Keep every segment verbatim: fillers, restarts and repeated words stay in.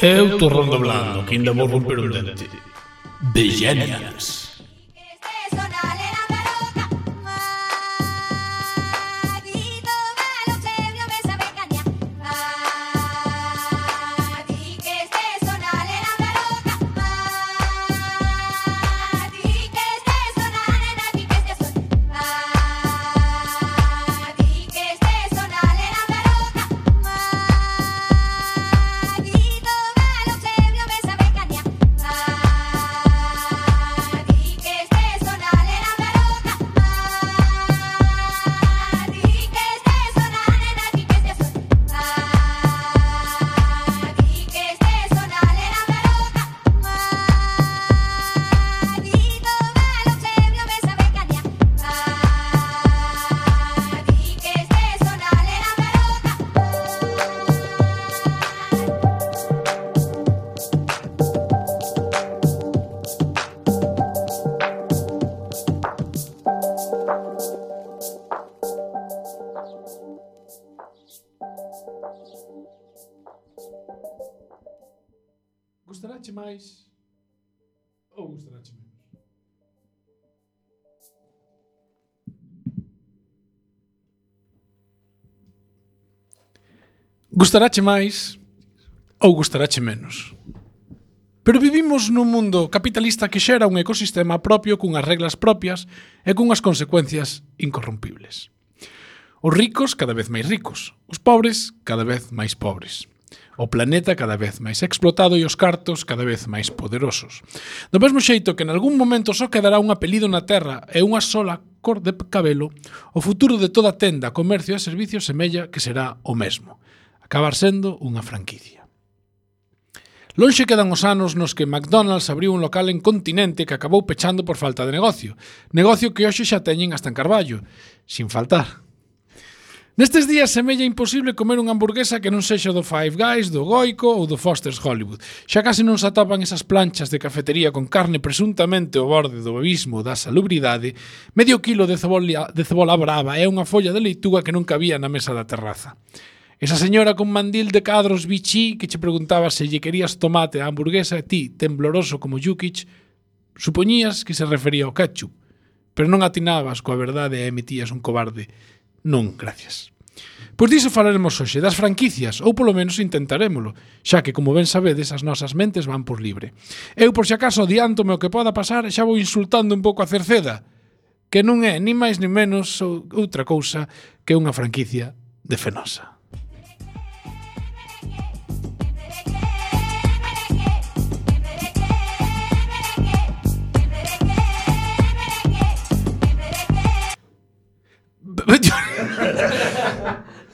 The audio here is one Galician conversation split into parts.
Eu tô redoblando, que ainda vou romper un dente. Vegenians. Gustarache máis ou gustarache menos? Gustarache máis ou gustarache menos? Pero vivimos nun mundo capitalista que xera un ecosistema propio cunhas reglas propias e cunhas consecuencias incorrompibles. Os ricos cada vez máis ricos, os pobres cada vez máis pobres. O planeta cada vez máis explotado e os cartos cada vez máis poderosos. Do mesmo xeito que en algún momento só quedará un apelido na terra e unha sola cor de cabelo, o futuro de toda tenda, comercio e servicios semella que será o mesmo. Acabar sendo unha franquicia. Lonxe quedan os anos nos que McDonald's abriu un local en Continente que acabou pechando por falta de negocio. Negocio que hoxe xa teñen hasta en Carballo. Sin faltar. Nestes días semella imposible comer unha hamburguesa que non sexa do Five Guys, do Goico ou do Foster's Hollywood. Xa case non se atopan esas planchas de cafetería con carne presuntamente ao borde do abismo da salubridade, medio kilo de cebola, de cebola brava e unha folla de leituga que non cabía na mesa da terraza. Esa señora con mandil de cadros bichí que che preguntaba se lle querías tomate á hamburguesa e ti, tembloroso como Jukic, supoñías que se refería ao ketchup, pero non atinabas coa verdade e emitías un cobarde non, gracias. Pois diso falaremos hoxe, das franquicias, ou polo menos intentarémolo, xa que, como ben sabedes, as nosas mentes van por libre. Eu, por si acaso, adiántome o que poda pasar e xa vou insultando un pouco a Cerceda, que non é ni máis ni menos outra cousa que unha franquicia de Fenosa.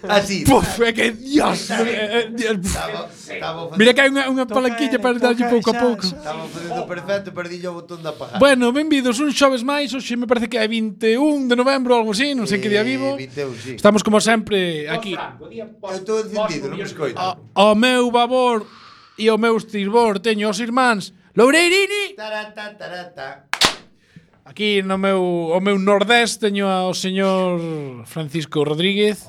Así. Puf, é que Dios. eh, eh, Dios. Estaba, estaba Mira que hai unha, unha palanquilla para darlle pouco a pouco. Estaba facendo perfecto, perdille o botón de apagar. Bueno, benvidos un xoves máis. Hoxe me parece que é vinte e un de novembro, algo así, non sei que día vivo. vinte e un, sí. Estamos como sempre aquí. Eu estou encendido, non me escoito. Ao meu babor e ao meu estirbor teño os irmáns Loureirini. Tarata, tarata. Aquí no meu, o meu nordés teño ao señor Francisco Rodríguez.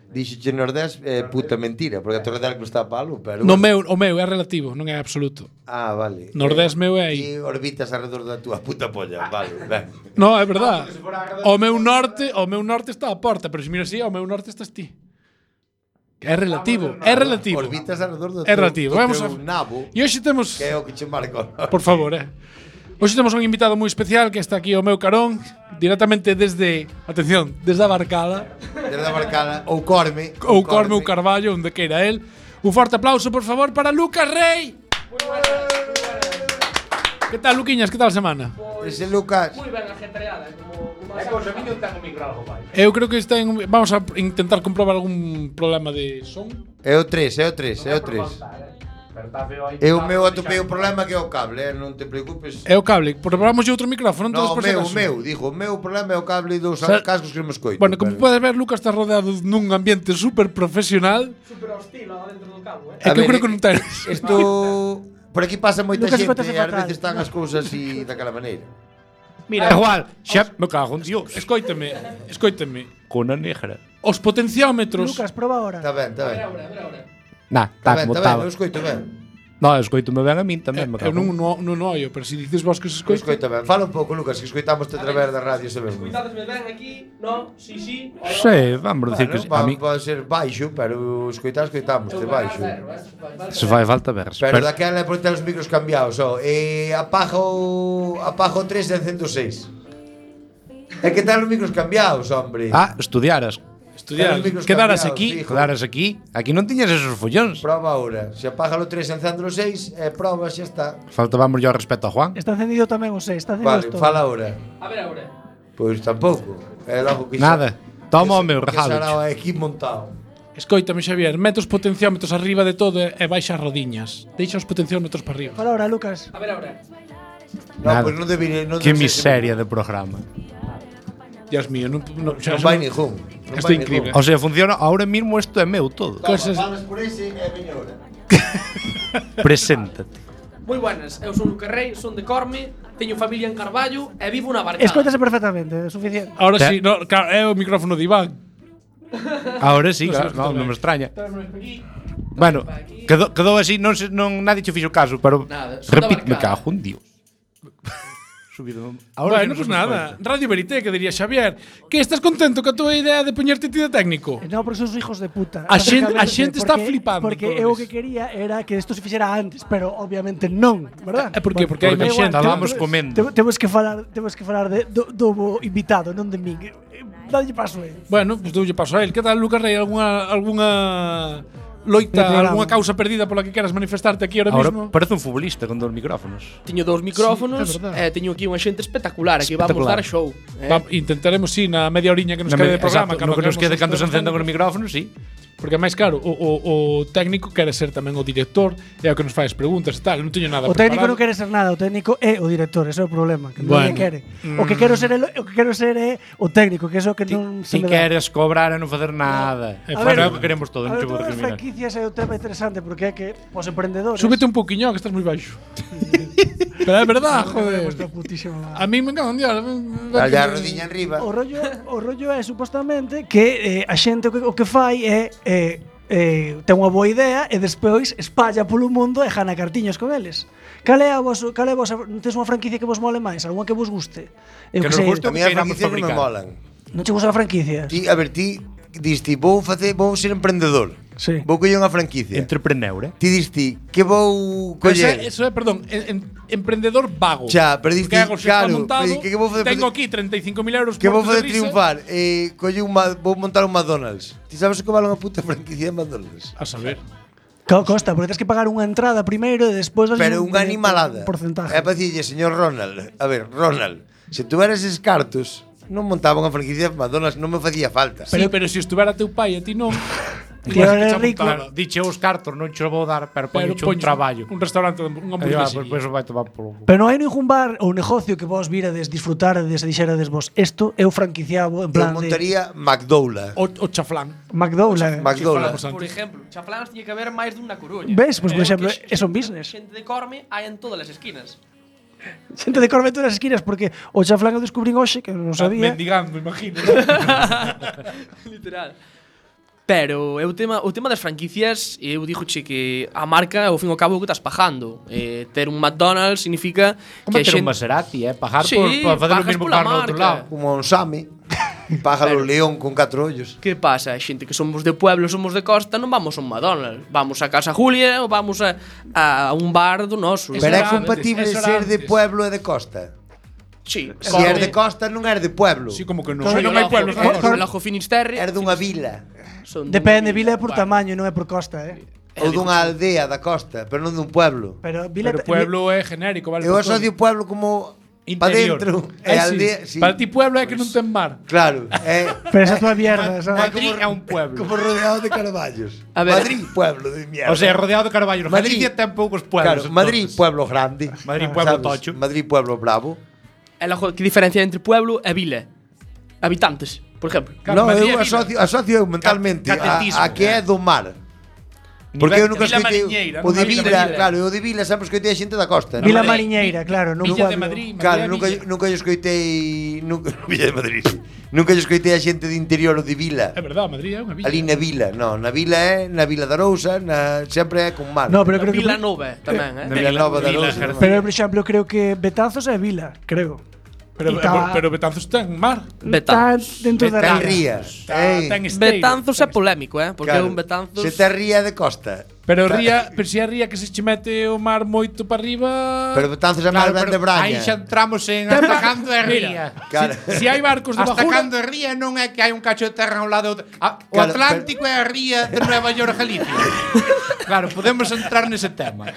Dixoche Nordés, eh, puta mentira, porque a Torre de Arco está palo, pero... No meu, o meu é relativo, non é absoluto. Ah, vale. Nordés meu é aí. E orbitas alrededor da túa puta polla, vale, ben. No, é verdad. O meu norte, o meu norte está á porta, pero se mira así, o meu norte estás ti. É relativo, é relativo. Orbitas alrededor do É relativo. do Vamos teu a nabo, E hoxe temos, que é o que che marca. por favor, eh. Hoxe temos un invitado moi especial que está aquí ao meu carón, directamente desde, atención, desde a Barcala, Desde a Barcala, ou Corme. ou Corme ou Carballo, onde queira el. Un forte aplauso, por favor, para Lucas Rey. Muy buenas, muy buenas. Que tal, Luquiñas? Que tal a semana? Ese Lucas. Muy ben ajetreada, como como é que os amigos ten o micro algo vai. Eu creo que está en, vamos a intentar comprobar algún problema de son. É o tres, é o tres, é o tres. Pero está feo aí. Eu meu atopei o problema que é o cable, eh? Non te preocupes. É o cable, probamos outro micrófono, No, entonces o por si meu, o acaso. meu, digo, o meu problema é o cable dos Sa- cascos que non me escoito. Bueno, como pero- podes ver, Lucas está rodeado nun ambiente super profesional. Super hostil lá dentro do cabo, eh. É A que eu ver, creo que non ten. Isto... Por aquí pasa moita Lucas, xente escoitase e ás fatal. veces están as cousas así daquela maneira. Mira, igual, xa me cago en Dios. Escoíteme, escoíteme. Con a negra. Os potenciómetros. Lucas, proba ahora. Está ben, está ben. Ahora, ahora, ahora. Nah, Está tá ben, como está ben, estaba. eu escoito ben. No, escoitome ben a min tamén, Eh, me eu cago. non, non, non oio, pero se dices vos que se Pois escoita. escoita ben. Fala un pouco, Lucas, que escoitamos a través da radio ese mesmo. Escoitadesme ben aquí, no, si, si. Sí, vamos dicir que Bueno, a mí pode ser baixo, pero escoitar escoitamos de baixo. se fai falta ver. Pero daquela é por ter os micros cambiados, ó. E apaga o apaga o tres e encendo o seis. É que ten os micros cambiados, hombre. Ah, estudiaras. Estudiar, Ten os micros quedaras cambiados, aquí. fijo. Quedaras aquí. Aquí non tiñas esos follóns. Proba ahora. Se apaga o tres e encendo o seis, e proba, xa está. Faltábamos yo respeto a Juan. Está encendido tamén o seis, está encendido Vale, todo. fala ahora. A ver agora. Pois tampouco. É logo que Nada. Toma o meu Que regalo. será aquí montado. Escoítame, Xavier, mete os potenciómetros arriba de todo e baixa as rodiñas. Deixa os potenciómetros para arriba. Fala ahora, Lucas. A ver agora. No, Nada. pois non debería, non Que debe ser- miseria de programa. Dios mío, non, non, xa, Non vai ningún. Non Isto é vai increíble. ningún. O sea, funciona ahora mismo, isto é meu todo. Cosas- Falas por ese e veña ahora. Preséntate. Moi buenas, eu son Lucas Rey, son de Corme, teño familia en Carballo e vivo na Barcada. Escoitase perfectamente, é suficiente. Ahora Te- sí, no, claro, é o micrófono de Iván. Ahora sí, Non claro, sei no, escutar non me extraña. Tráemelo aquí. Bueno, quedou, quedou así, non, se, non nadie che fixo caso, pero Nada, son da repite, me Barcada. cago en Dios. Subido. Bueno, sí pues non se nada, escoita. Radio Verité, que diría Xavier, que estás contento ca tua idea de poñerte ti de técnico? No, porque son os hijos de puta. A xente- a Básicamente, xente está porque- flipando Porque con eu o iso. que quería era que isto se fixera antes, pero obviamente non, verdad? É por qué? Porque hai da máis igual, xente. Estábamos temos- comendo. te- Temos que falar, temos que falar de, do, do invitado, non de min. Eh, Dalle paso eh. Bueno, pues doulle paso a él. Que tal, Lucas Rey? Alguna, alguna loita, No programa. alguna causa perdida pola que queras manifestarte aquí ahora, Ahora mismo? parece un futbolista con dos micrófonos. Teño dous micrófonos Sí, é verdade. e teño aquí unha xente espectacular, aquí vamos Espectacular. dar show. Eh? Va, intentaremos, sí, na media oriña que nos Na quede me- de programa. exacto, no que nos acabemos quede os cando se temas encendan os técnicos. micrófonos, sí. Porque máis claro, o, o, o técnico quere ser tamén o director e é o que nos fai as preguntas e tal. Non teño nada O técnico preparado. non quere ser nada, o técnico é o director, ese é o problema, que Bueno. non quere. O que quero ser el, o que quero ser é o técnico, que é o que non se Si me dá. queres cobrar e non facer nada. A É ver, o que queremos todo, A non ver, che vou todas as discriminar. franquicias é o tema interesante porque é que os emprendedores Súbete un pouquiño, que estás moi baixo. Pero é verdad, joder. Vuestra putísima A mí me cago en Dios. a mí- Dale a rodilla arriba. O rollo, o rollo é supostamente que eh, a xente o que, o que fai é eh, eh, ten unha boa idea e despois espalla polo mundo e gana cartiños con eles. Cal é a vos, cal é a vos, tes unha franquicia que vos mole máis, algunha que vos guste? Eu Que que nos sei, guste. A mí as Que iramos franquicias non me fabricar. molan. non che gusta a franquicia? Ti, a ver, ti diste, vou facer, vou ser emprendedor. Sí. Vou coller unha franquicia. Entrepreneur, eh? Ti diste, que vou Pero eso, é- coller? eso é, perdón, en, en, emprendedor vago. Xa, pero diste, Que hago, se está claro, montado, pero que que vou facer- tengo aquí treinta e cinco mil euros Que vou muertos de facer risa. triunfar? Eh, colle un, ma- vou montar un McDonald's. Ti sabes o que vale unha puta franquicia de McDonald's? A saber. Co- Costa, porque tens que pagar unha entrada primeiro e despois vas Pero unha animalada. un porcentaje. É para dicirlle, señor Ronald, a ver, Ronald, se tuveras eses cartos, non montaba unha franquicia de McDonald's, non me facía falta. Pero, sí, pero se estuvera teu pai e ti non. Tío, igual eres que xa rico. montaron. Claro, diche os cartos, non che vou dar, pero Pero poño un poñes traballo. Un restaurante, un Aí va, hamburguesía. pois pues, vai tomar polo. Pero non hai ningún bar ou negocio que vos virades, disfrutarades e dixerades vos isto eu franquiciabo en Eu plan de montaría McDowla. O, o chaflán. McDowell. McDowla. Chiflamos Por antes. exemplo, chafláns tiña que haber máis dunha coruña. Ves? Pois, por Eh, exemplo, que é son business. Xente de Corme hai en todas as esquinas. Xente de Corme en todas as esquinas porque o chaflán eu descubrín hoxe que non sabía. Mendigando, imagino. Literal. Pero é o tema, o tema das franquicias, eu dixoche que a marca ao fin e ao cabo o que estás pagando. Eh, ter un McDonald's significa Como que a ter un xente Maserati, eh? Pagar Sí, por, por facer o pagas mismo pola carro no outro marca. lado. Como un Sami. Pájalo león con catro ollos. Que pasa? A xente que somos de pueblo, somos de costa, non vamos a un McDonald's. Vamos a Casa Julia ou vamos a, a un bar do noso. Eso Pero é era compatible antes, eso ser era de antes. pueblo e de costa. Sí, Se eres de costa non eres de pueblo. Sí, como que non. Claro, non hai pueblos na O costa. Lago Finisterre Eres dunha vila. son Depende, dunha vila é por tamaño, non é por costa, eh. Ou dunha aldea da costa, pero non dun pueblo. Pero vila Pero pueblo é genérico, vale? Eu por todo. asocio pueblo como pa Interior. dentro. Ai, E sí. aldea, sí. Para ti pueblo é que non ten mar. Claro, é Pero esa tua mierda, sabes? Madrid é un pueblo. como rodeado de carballos. A ver. Madrid, pueblo de mierda. O sea, rodeado de carballos. Madrid- Galicia ten poucos Claro, pueblos. Madrid, entonces. pueblo grande. Madrid, pueblo ¿Sabes? tocho. Madrid, pueblo bravo. E logo, que diferencia entre pueblo e vila? Habitantes, por exemplo. Claro, No, Madrid eu é vila. asocio, asocio eu mentalmente Ca- a, catetismo, a que é eh. do mar. Porque eu nunca Vila escoitei Mariñeira, o non? de Vila Vila, Mariñeira. claro, o de Vila sempre escoitei a xente da costa. Vila non? Mariñeira, claro, non Villa de pueblo. Madrid. Claro, Madrid, nunca Villa. nunca lle escoitei nunca Villa de Madrid. Sí. Nunca lle escoitei a xente de interior o de Vila. É verdade, Madrid é unha villa. Ali na Vila, no, na Vila é na Vila da Arousa, na sempre é con mar. No, pero creo que Vila Nova tamén, eh? na Vila Nova da Vila Arousa. García. Pero, por exemplo, creo que Betanzos é vila, creo. Pero, E tá- pero Betanzos ten mar. Está Betanzos. dentro da Ten ría. ría. Tá, Ei, ten esteiro. Betanzos é polémico, eh? Porque claro, un Betanzos... Se ten ría de costa. Pero ría, pero se a ría que se che mete o mar moito para arriba. Pero Betanzos é máis ben de Braña. Aí xa entramos en Ten hasta mar- cando é ría. Claro. Se hai barcos de Hasta bajura, cando é ría non é que hai un cacho de terra ao lado do... Ah, o Claro, Atlántico é a ría de Nueva York, Galicia. Claro, podemos entrar nese tema.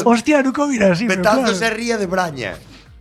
Hostia, nunca mira así, pero Betanzos é claro. ría de Braña.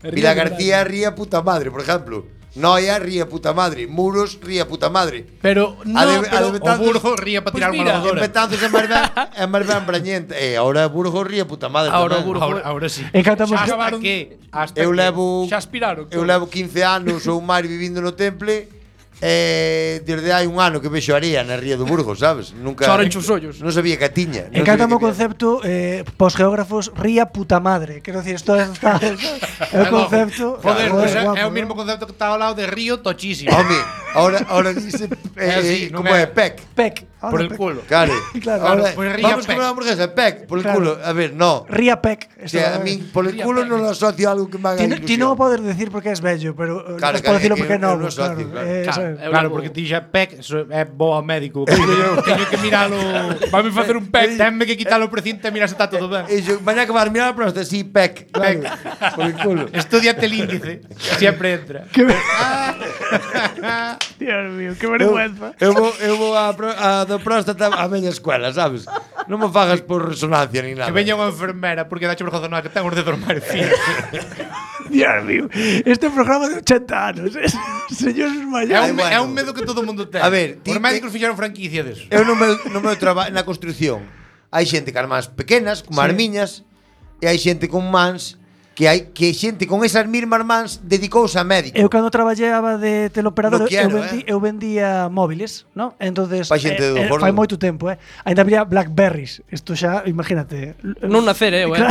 É ría Vila de García é ría puta madre, por exemplo. Noia ría puta madre, Muros ría puta madre. pero no, A de- a pero de O Betanzos- Burgo ría para Pues tirar mira, unha En lavadora. Betanzos é máis ben, é máis ben brañente. E agora Burgos ría puta madre Ahora tamén. Burgos- Ahora, ahora sí. Encantamos Xa que- acabaron- Hasta que hasta Eu que- levo xa aspiraron. Eu levo quince anos ou máis vivindo no Temple. Eh, desde hai un ano que vexo area na ría do Burgos, sabes? Nunca Chorenche os ollos. Non sabía que a tiña. non Encanta sabía o que había. concepto eh, pos geógrafos ría puta madre. Quero decir, isto está é o concepto. Joder, joder, pues é, guapo, é o ¿no? mesmo concepto que está ao lado de río tochísimo. Home, ahora ahora dice É eh, así, non como é? é Pec. Pec. Por ahora el Pec. culo. Claro. Claro. Ahora, Pues ría vamos Pec. comer hamburguesa, Pec, por el Claro. culo. A ver, no. Ría Pec. O sea, a mí por el culo non lo asocio a algo que me haga Ti, ilusión. ti non o podes decir porque és bello, pero eh, Claro, non claro, podes dicilo é que porque é eu novo, non claro. asocio, claro. Eh, Claro, sabe. eu Claro, levo- porque ti xa Pec eso é bo ao médico. Teño que miralo. Vamos facer un pack. Tenme que quitar o precinto e mira se está todo ben. E yo, mañá que vas a mirar a próstata, sí, Pec. Claro. Por el culo. Estudiate el índice, que siempre entra. Que ver- Dios mío, que vergüenza. Eu vou, eu vou a, pro- a do próstata a media escuela, sabes? Non me fagas por resonancia ni nada. Que veña unha enfermera porque dache vergonza no que ten os dedos máis finos. Dios mío. Este programa de ochenta anos. Es, señores É mayores. un, bueno. é un medo que todo o mundo ten. A ver, ti os te- médicos fixeron franquicia deso. Eu no meu, no meu traballo na construción hai xente con mans pequenas, como as miñas, e hai xente con mans que hai que xente con esas mesmas mans dedicouse a médico. Eu cando traballaba de teleoperador, No quiero, eu, vendi, eh. eu vendía móviles, ¿no? Entonces, Pa xente do gordo. fai moito tempo, eh. Ainda había Blackberries. Isto xa, imagínate. Non nacer, eh, eh.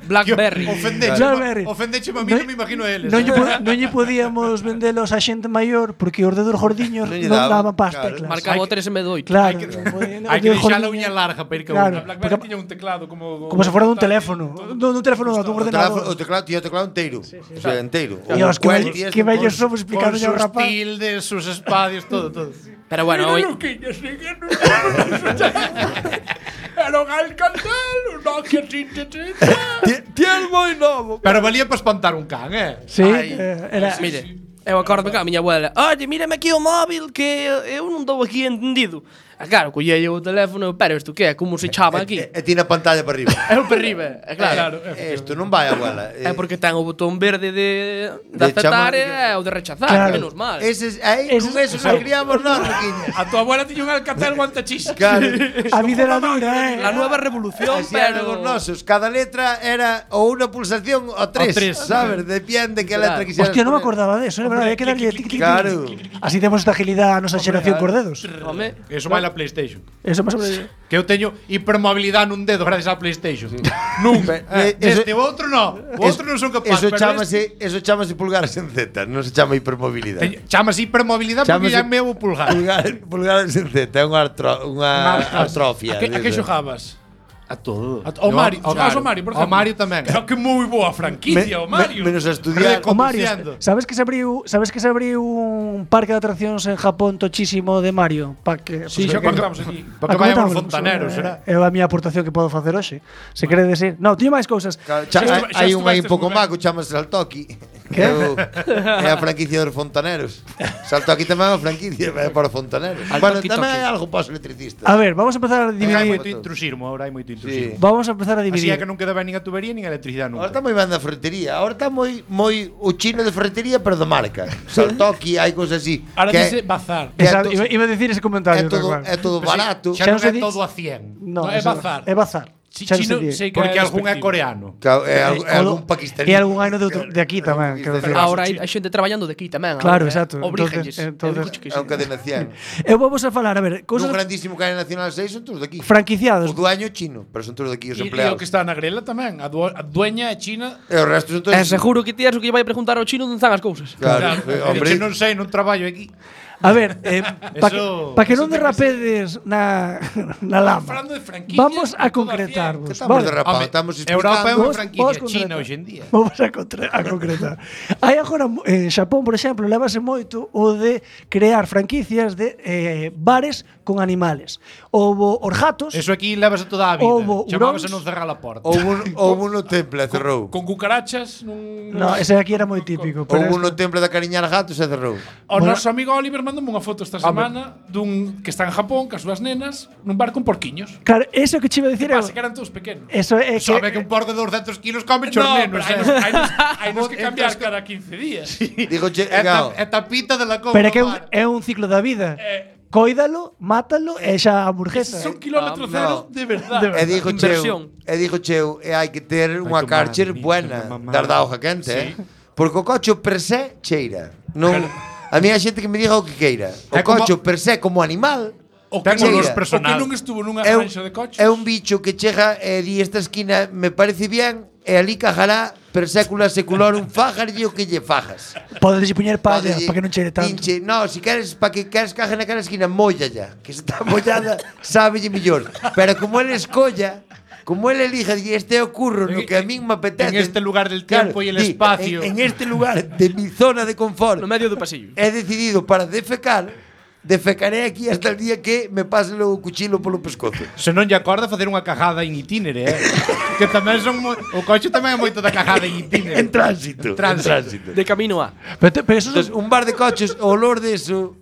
Blackberry. Ofendeche, Blackberry. ofendeche a mí, non me imagino eles. Non lle, po- non lle podíamos vendelos a xente maior porque os dedos gordiños Non non, lle daban, daban pas claro. teclas. Marcaba o tres en vez de oito. Claro. Hai que- non podían- Hai os que dedos deixar a gordiños- uña larga para ir que Claro. unha. BlackBerry tiña un teclado como Como se fora dun teléfono. Non dun teléfono, non, dun O teléfono, o ordenador. teclado, tío, o teclado inteiro. O sea, inteiro. Dios, que, Cuel, bello, tío, que con- bellos somos Con explicando ya sus rapaz. tildes, sus espadios, todo, todo. Pero bueno, hoy, Era un Alcatel, un Nokia treinta treinta. Ti- Ti es moi novo. Pero valía para espantar un can, eh? Sí, Ai, eh, era, mire, eu acordo que a miña abuela, oye, mírame aquí o móvil que eu non dou aquí entendido. E claro, collei o teléfono, pero isto que é, como se chama aquí? E, e ti na pantalla para arriba. É o per riba, é claro. Isto non vai, abuela. É porque ten o botón verde de, de, De aceptar chamar- e o de rechazar, Claro. menos mal. Eses, aí, Eses- con eso nos criamos nós, Riquiña. A tu abuela tiña un Alcatel guantachis. Claro. a vida era dura, eh. La nueva revolución, Así eran pero... os nosos. Cada letra era ou unha pulsación ou tres, O tres. sabes? Depende que Claro. letra quixeras. Hostia, non me poner. acordaba de eso, é verdade, hai que darlle tic, tic, tic. Claro. Así temos esta agilidade a nosa xeración cor dedos. Home, Eso vai na PlayStation. Eso máis ou menos. Que eu teño hipermobilidade nun dedo gracias á PlayStation. Nunca. Pe- Eh, eso- este outro no. O outro non son capaz. Eso pero chámase, eso chámase pulgares en Z, non se chama hipermobilidade. este- Chámase hipermobilidade porque Chámase- ya é meu pulgar. Pulgar, pulgares en Z, é unha, artro, unha atrofia. A que, a que desa. xogabas? A todo. A- ao Mario. Xogabas ao Mario, por Ao exemplo? Mario tamén. Creo que moi boa franquicia, o Mario. Me, menos a estudiar. O Mario, Conduciendo. sabes que se abriu, sabes que se abriu un parque de atraccións en Japón tochísimo de Mario, pa que Sí, pues, xa que- contamos aquí. Para que Ah, vayamos comentamos, fontaneros, eh, será? É a miña aportación que podo facer hoxe. Se quere decir, no, tiño máis cousas. Claro, cha- Xa hai- estu- xa hai un aí un estuvestes pouco nun mago, chamase Saltoki. Que é, o- é a franquicia dos fontaneros. Saltoki tamén é unha franquicia é para fontaneros. Al Bueno, toki tamén toki. é algo para os electricistas. A ver, vamos a empezar a Hai dividir. moito intrusismo, ahora hai moito intrusismo. Vamos a empezar a Así dividir. é que non queda ben nin a tubería nin a electricidade Ahora nunca. está moi ben da ferretería. Ahora está moi moi o chino de ferretería, pero de marca. Saltoki, hai cousas así. Ahora que dice bazar. que é Esa, to- iba, iba a decir ese comentario. é todo tal cual. é todo barato. Xa Xa non non se é di- todo a cien. No, No, é eso- bazar. É bazar. Chi- Xa non chino, sei sei que Porque é algún é despectivo. coreano. Claro, é, algún- é O algún do- pakistaní. E algún hai no de, outro- de aquí tamén, quero decir. Ahora hai, hai xente traballando de aquí tamén. Claro, ahora, exacto. Eh? Obrígenlles. Entonces- Eu digo que É un sí. cadena cien. Eu vou vos a falar, a ver, Un cousas grandísimo cadena nacional seis son todos de aquí. franquiciados. O dueño chino, pero son todos de aquí os E, e o empleados. que está na grela tamén. A, du a dueña é China. E o resto son todos... E seguro que ti és o que lle vai preguntar ao chino onde están as cousas. Claro, Claro. eh, Hombre, hombre. non sei, non traballo aquí. A ver, eh, para que, Eso- pa que non eso ten que derrapedes na, na lama, Falando de franquicias, vamos a en toda a concretarvos. Que estamos vale? derrapando, Home, estamos Europa é explicando... unha Vos- franquicia vos china concretar. hoxe en día. Vamos a, contra- a concretar. Hai agora en Xapón, por exemplo, levase moito o de crear franquicias de eh, bares con animales. Houbo os gatos, Eso aquí levas toda a vida. Houbo Chamábase huróns. non cerrar a porta. Houve un, houve un no temple e cerrou. Con cucarachas nun... no, ese aquí era moi típico, pero Houve un este- no temple de cariñar gatos e cerrou. O Bueno. noso amigo Oliver mandou unha foto esta semana dun que está en Japón, cas súas nenas, nun bar con porquiños. Claro, eso que che iba a Que dicir é pasa que eran todos pequenos. eso é que Sabe que un porco de doscientos kilos come No, chornenos, pero hai eh. nos, hai nos, hai nos que cambiar Entras- cada quince días. Digo, che, É, claro, ta, é tapita de la cova. pero é que é un, mar. é un ciclo da vida. Eh, Cóidalo, mátalo e xa a hamburguesa. Son kilómetro Ah, cero no. de verdade. e digo Inversión. cheu, e digo cheu, e hai que ter unha tu Karcher madre, buena, mamá. dar da hoja quente, eh? Porque o cocho per se cheira. Non, a mí hai xente que me diga o que queira. O É como- cocho per se como animal O que, Ten non, olor o personal. que non estuvo nunha é un, granxa de coches. é un bicho que chega e di esta esquina me parece bien e ali cajará per sécula seculorum fajarlle o que lle fajas. Podes poñer palla Padelle, para que non cheire tanto. Pinche, no, si queres para que queres caja na cara esquina, mollalla, que se está mollada, sábelle mellor. Pero como él escolla, como él elija y este ocurre no que a mí me apetece. En este lugar del tiempo y el di, espacio. En, en este lugar de mi zona de confort, No medio do pasillo. he decidido para defecar, defecaré aquí hasta el día que me pase o cuchillo polo pescozo. Se non lle acorda facer unha cajada en itinere, eh? que tamén son mo... o coche tamén é moito da cajada en itinere. En tránsito, En tránsito. en tránsito. De camino a. Pero, te- pero eso son- Entonces, un bar de coches, o olor de eso,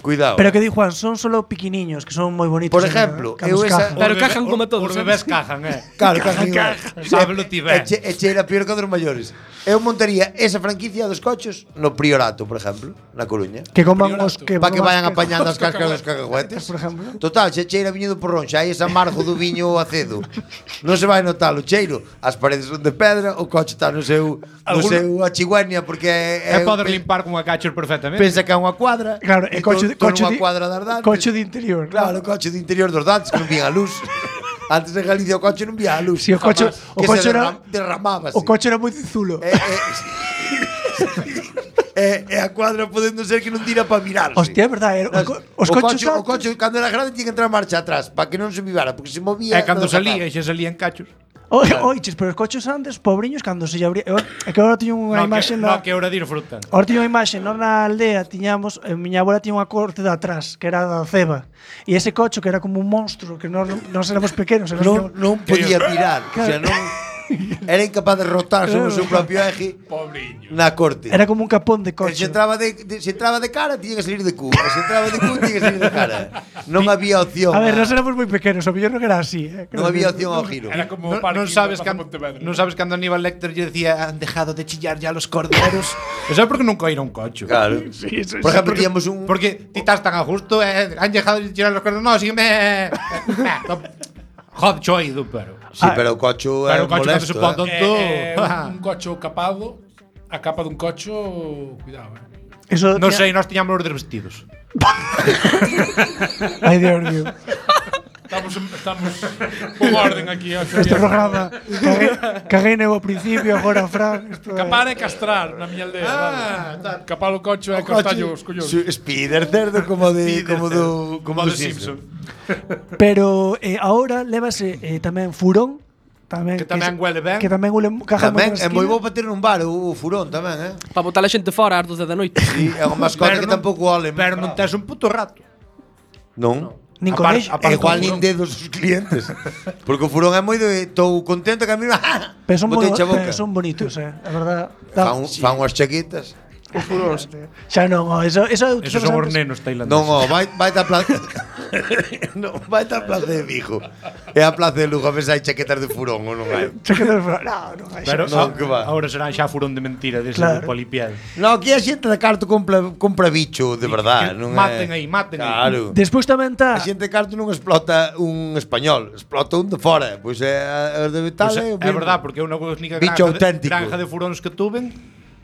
cuidado. pero que di Juan, son solo piquiniños que son moi bonitos. Por en- ejemplo, cando eu se esa- cajan. Pero Os cajan bebé- como os- todos, Os sabes? bebés cajan, eh? Claro, cajan igual. Sábelo ti ben. E che, e cheira peor que a dos maiores. Eu montaría esa franquicia dos coches no Priorato, por exemplo, na Coruña. que coman os que Para que coman vayan os apañando as cáscaras dos cacahuetes. Por ejemplo. Total, se cheira viño do porrón, xa hai ese amargo do viño acedo. Non se vai notar o cheiro. As paredes son de pedra, o coche está no seu, no Algún- seu achiguenia porque é, É poder limpar con unha cachos perfectamente. pensa que é unha cuadra. Claro, e coche, to- to coche, nunha de, cuadra das dantes. coche de interior. Claro, o coche de interior dos dantes que non vía a luz. Antes en Galicia o coche non vía a luz. Si, o coche- o que coche se era- derram, derramábase. O coche era moi zulo. E, e, e a cuadra podendo ser que non tira para virarse. Hostia, é verdade. Era, o, co- os o coches coche, o antes- coche cando era grande tinha que entrar marcha atrás para que non se vivara, porque se movía. É cando non salía, sacaba. e xa salían cachos. Oi, oiches, pero os coches antes, pobriños, cando se lle abría... Eu- É que agora tiño unha No, imaxe que, na... no, que hora de ir fruta. Ahora tiño unha imaxe, non na aldea tiñamos, eh, miña abuela tiña unha corte de atrás, que era da ceba. E ese coche que era como un monstro, que non nos éramos pequenos, éramos Non, non podía virar, o sea, non era incapaz de rotar sobre o seu propio eje Pobriño. na corte. era como un capón de E coche. se entraba de, de, se entraba de cara, tiña que salir de cu. E se entraba de cu, tiña que salir de cara. Non había opción. A ver, a- nós éramos moi pequenos, o mellor non era así, eh. non había opción ao giro. Era como No, o parking non sabes de cando, Pontevedra. non sabes cando Aníbal Lecter lle decía han dejado de chillar ya los corderos. Eso é porque nunca ir a un coche. Claro. Sí, eso, Por eso. ejemplo, tiñamos un Porque ti estás tan a justo, eh, han dejado de chillar los corderos. No, sígueme. Joder, cho oído, pero. Sí, Ah, pero o cocho é Pero o coche cando molesto. se pon eh. tonto. Eh, eh, un, un coche capado, a capa dun cocho, cuidado, eh. Eso Non tiña- sei, nós tiñamos os desvestidos. Ai, Dios mío. Estamos, estamos con orden aquí. o sea, Este programa caguei, caguei neu ao principio, agora Fran. Esto é- Capar é castrar na miña aldea. Ah, vale. Capar o coche é O coche, castallo os collóns. su- Spider cerdo como de como do como do de Simpson. Pero eh, ahora lévase eh, tamén furón, tamén Que tamén se- huele ben. Que tamén huele caja Tamén moi é moi bo para ter un bar o, o furón tamén, eh. Para botar a xente fora ás doce da noite. Sí, é unha mascota Pero que non- tampouco ole. Pero non tes un puto rato. Non. Nin A con par- eix. a par- É igual con nin furón. dedos os clientes. Porque o furón é moi de estou contento que a mí Pero son, moi, botei a boca. eh, son bonitos, eh. A verdad. Da, Fan, fan unhas chaquitas. Xa non, oh, eso, eso Esos son os nenos tailandeses. Non, oh, vai vai da plaza. Non, vai a Plaza de Vigo. É a Plaza de Lugo, a ver se hai chaquetas de furón ou non hai. Chaqueta de furón. No, non hai. Pero Non, que va. ahora serán xa furón de mentira dese Claro. de polipiel. No, aquí a xente de carto compra, compra bicho de verdade. que Non maten é... aí, maten aí. Claro. Despois tamén A está xente de carto non explota un español, explota un de fora. Pois é, a de Vital Pues é, é, o é mesmo. verdad, porque é unha única Bicho granja de, auténtico. granja de furóns que tuven.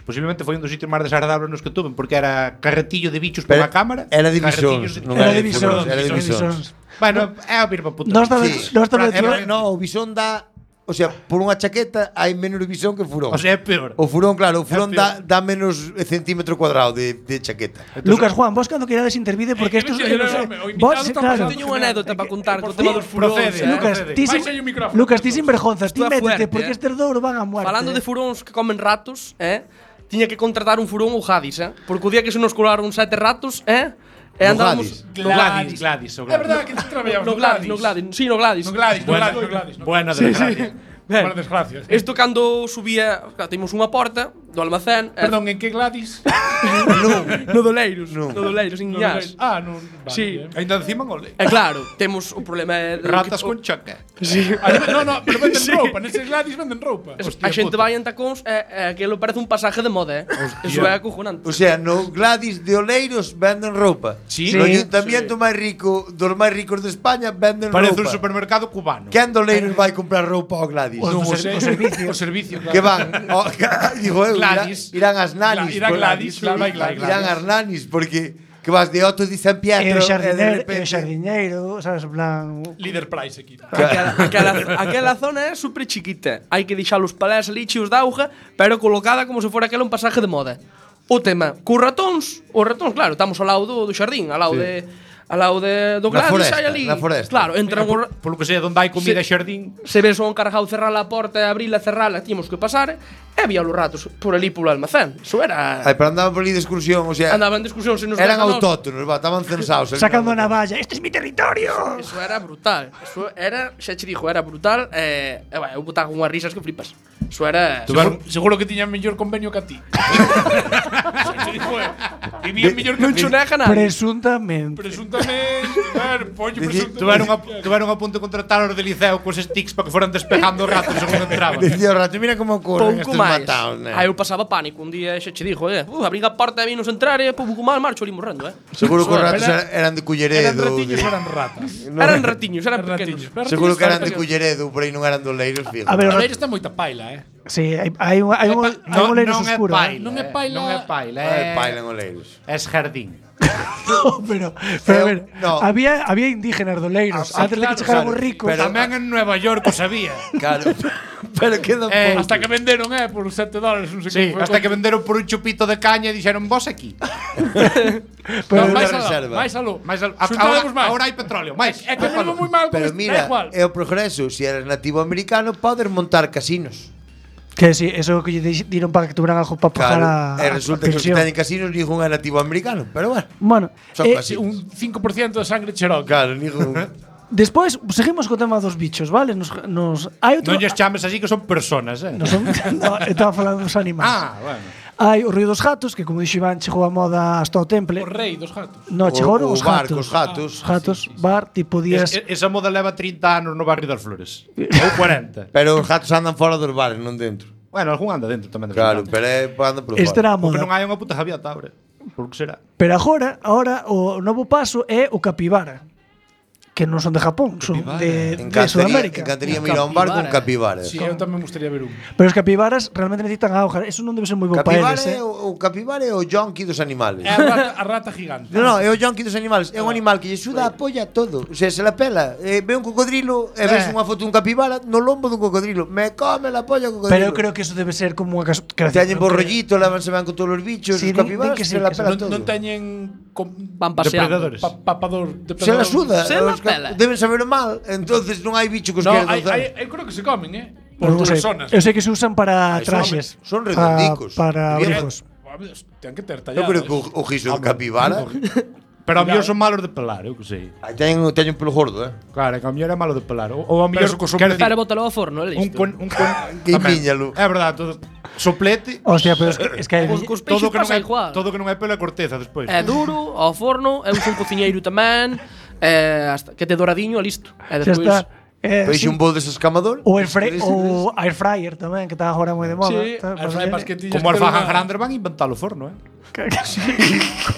Posiblemente foi un dos sitios máis desagradables nos que tuven, porque era carretillo de bichos por Pero a cámara. era de carretillos bisóns, non era era de de visóns, furóns, era de era de visóns. visóns. Bueno, é a mesma puta. Nós tamén, Sí. nós tamén Pero- tivemos- No, o bisón dá, o sea, por unha chaqueta hai menos bisón que furón. O sea, é peor. O furón, claro, o furón É dá, dá menos centímetro cuadrado de, de chaqueta. Lucas, Juan, vos cando querades intervide porque Eh, estos eh, eu non eh, sei. o invitado Vos, está claro. pasando Teño unha anécdota para contar co por tema favor, dos furóns. procede, eh. Lucas, procede. ti sin, Baixa aí o micrófono, Lucas, ti por sin favor. vergonza, ti Isto é métete fuerte, porque eh. estes dous van a muerte. Falando de furóns que comen ratos, eh? Tiña que contratar un furón ou Gadis, eh? Porque o día que se nos colaron sete ratos, eh? E No andábamos Gadis. No Gladys, Gladys, o É Gladys. verdade que ti traballabas no Gladys, no Gladys, sí, no Gladys. No Gladys, no Buena, Gladys, no Gladys. no. buena desgracia. Ben, Buena desgracia. sí. Isto cando subía, claro, temos unha porta do almacén, eh, Perdón, en que Gladys? no Doleiros, No. no Doleiros, en Iñás. Ah, non. Vale, Sí. bien. Ainda encima gole. E claro, temos o problema é de Ratas que- con choque. Sí. Ah, no, no, pero venden Sí. roupa, neses Gladys venden roupa. A xente vai en tacóns e, e aquilo parece un pasaje de moda, eh? Eso é acojonante. O sea, no Gladys de Oleiros venden roupa. Sí. No Sí. ayuntamiento máis rico, dos máis ricos de España venden Parece un roupa. supermercado cubano. Quen de Oleiros vai comprar roupa ao Gladys? Os Non do o ser- sei. o servicio. O servicio, claro. Que van, o, digo eu, Gladys. irán, irán as nanis. Irán por- Gladys, claro, vai Gladys. Irán as nanis, porque que vas de Otto de San E Pietro o e de xardineiro, e repente... o xardineiro, sabes, en plan... Líder Price aquí. Aquela, aquela, aquela zona é super chiquita. Hai que deixar os palés ali chios de auga, pero colocada como se fora aquela un pasaje de moda. O tema, cos ratóns, os ratóns, claro, estamos ao lado do, do xardín, ao lado de ao lado de do Na Gladys, foresta, hai ali. na foresta. Claro, entran os, Polo que sea, onde hai comida e xardín. se ves o encargado cerrar a porta e abrila, cerrala, tíamos que pasar, e había os ratos por ali polo almacén. Eso era... Ai, pero andaban por ali de excursión, o sea, Andaban en discusión, se nos eran deja nós. autóctonos, va, estaban censados. Sacando a navalla, este es mi territorio. Eso era brutal. Eso era, xa che dixo, era brutal. E, e vai, eu botaba unhas risas que flipas. Eso era... Seguro, seguro que tiñan mellor convenio que a ti. Vivían mellor que Non a ti. cho nega nada. Presuntamente. Presuntamente, ver, pollo, presuntamente. Tuveron a, tuveron a punto de contratar os de liceo cos sticks para que foran despejando os ratos según entraban. Decía o rato, mira como corren Pouco estes máis. mataos, né? Aí eu pasaba pánico. Un día xa che dixo, eh, uh, abrí a porta e vinos entrar e pouco mal marcho ali morrendo, eh. Seguro que os ratos Era- eran, eran de Culleredo. Eran ratiños de- ou eran ratas? Eran ratiños, eran Eran pequenos. ratiños. Pero Seguro ratiños que eran de pequenos. Culleredo, por aí non eran de Oleiros, fijo. A ver, A ver, está moita paila, eh. sí, hai, hai, un, hai, un, hai un leiros non é oscuro. paila, eh. Non é paila. Non é paila, Ai, é, paila en Oleiros. é jardín. No, pero, pero a ver, no. había, había indígenas doleiros Ah, antes de que claro, chegaran os claro. ricos. Pero- Tamén en Nueva York o sabía. Claro. Pero queda Eh, pouco. Hasta que venderon, eh, por sete dólares, non sei Sí, como foi. hasta que venderon por un chupito de caña e dixeron vos aquí. Pero- No, máis Una aló, reserva. máis aló. Mais al, Xuntaremos ahora, máis. ahora hai petróleo, máis. É que venimos moi mal con Pero isto, da mira, igual. é o progreso. Se eres nativo americano, podes montar casinos. Que sí, eso que lle di- diron para que tuvieran algo para pagar Claro. a, E resulta a que os que pensión. teñen casinos ningún é nativo americano. Pero bueno, Bueno, son eh, casinos. Un cinco por ciento de sangre cherokee. Claro, ningún. despois seguimos co tema dos bichos, vale? Nos, nos hai outro Non lles chames así que son personas, eh. no, son, no, estaba falando dos animais. Ah, bueno. Hai o Río dos Gatos, que como dixo Iván, chegou a moda hasta o temple. O rei dos gatos. No, chegaron o os bar gatos. cos gatos. Os gatos, bar, tipo días. Es, esa moda leva trinta anos no barrio das Flores. Ou cuarenta. Pero os gatos andan fora dos bares, non dentro. Bueno, algún anda dentro tamén. de Claro, vez en pero é anda por Este fora. era a cuando. Porque non moda. hai unha puta javiata ahora. Por que será? Pero agora, agora o novo paso é o capibara. Que non son de Japón, son de, de Encantaría, Sudamérica. encantaría ir a un bar con capibara. Sí, eu tamén me gustaría ver un. Pero os capibaras realmente necesitan auga. Eso non debe ser moi bo para Capibara eles, é eh. o, o capibara é o jonqui dos animales. É a rata, a rata gigante. No, no, é o jonqui dos animales. É un animal que lle suda a polla a todo. O sea, se la pela. Eh, ve un cocodrilo e ves Eh. unha foto dun capibara no lombo dun cocodrilo. Me come la polla o cocodrilo. Pero eu creo que eso debe ser como unha cas- creación. Teñen borrollito, levanse van con todos os bichos, Sí, os din- capibaras din que sí, se la que pela Non, todo. non teñen com, Van paseando. Depredadores. pa, papador, Se la suda. Se la os ca- pela. Deben saber mal. Entonces non hai bicho que os No, queran hai, danzar. hai, eu creo que se comen, eh. Pero Por non sei. dúas zonas. Eu sei que se usan para Ai, son- traxes. son Pa- redondicos. Para Bien. abrigos. Ten que ter Eu talladas. creo que o, o giso do capibara Pero a mellor son malos de pelar, eu que sei. ai, teñen, teñen un pelo gordo, eh. Claro, que a mellor é malo de pelar. Ou, ou a mellor Pero co quero Pero decir, bótalo ao forno, é un listo. con, un con Que tamén. miñalo. É verdade, todo soplete. Hostia, pero es que, es que hai, Cos- cos Todo peixes que non pasa é igual. todo que non é pelo é corteza despois. É duro, ao forno, eu son cociñeiro tamén. eh, hasta que te doradiño, listo. E Xa despois está. Eh, Pois sí. un bol desescamador. O air, fry, o air fryer tamén, que está agora moi de moda. Sí, Está- as flepas que tiñas Como que os fajan ter unha- grandes van a inventar o forno, eh?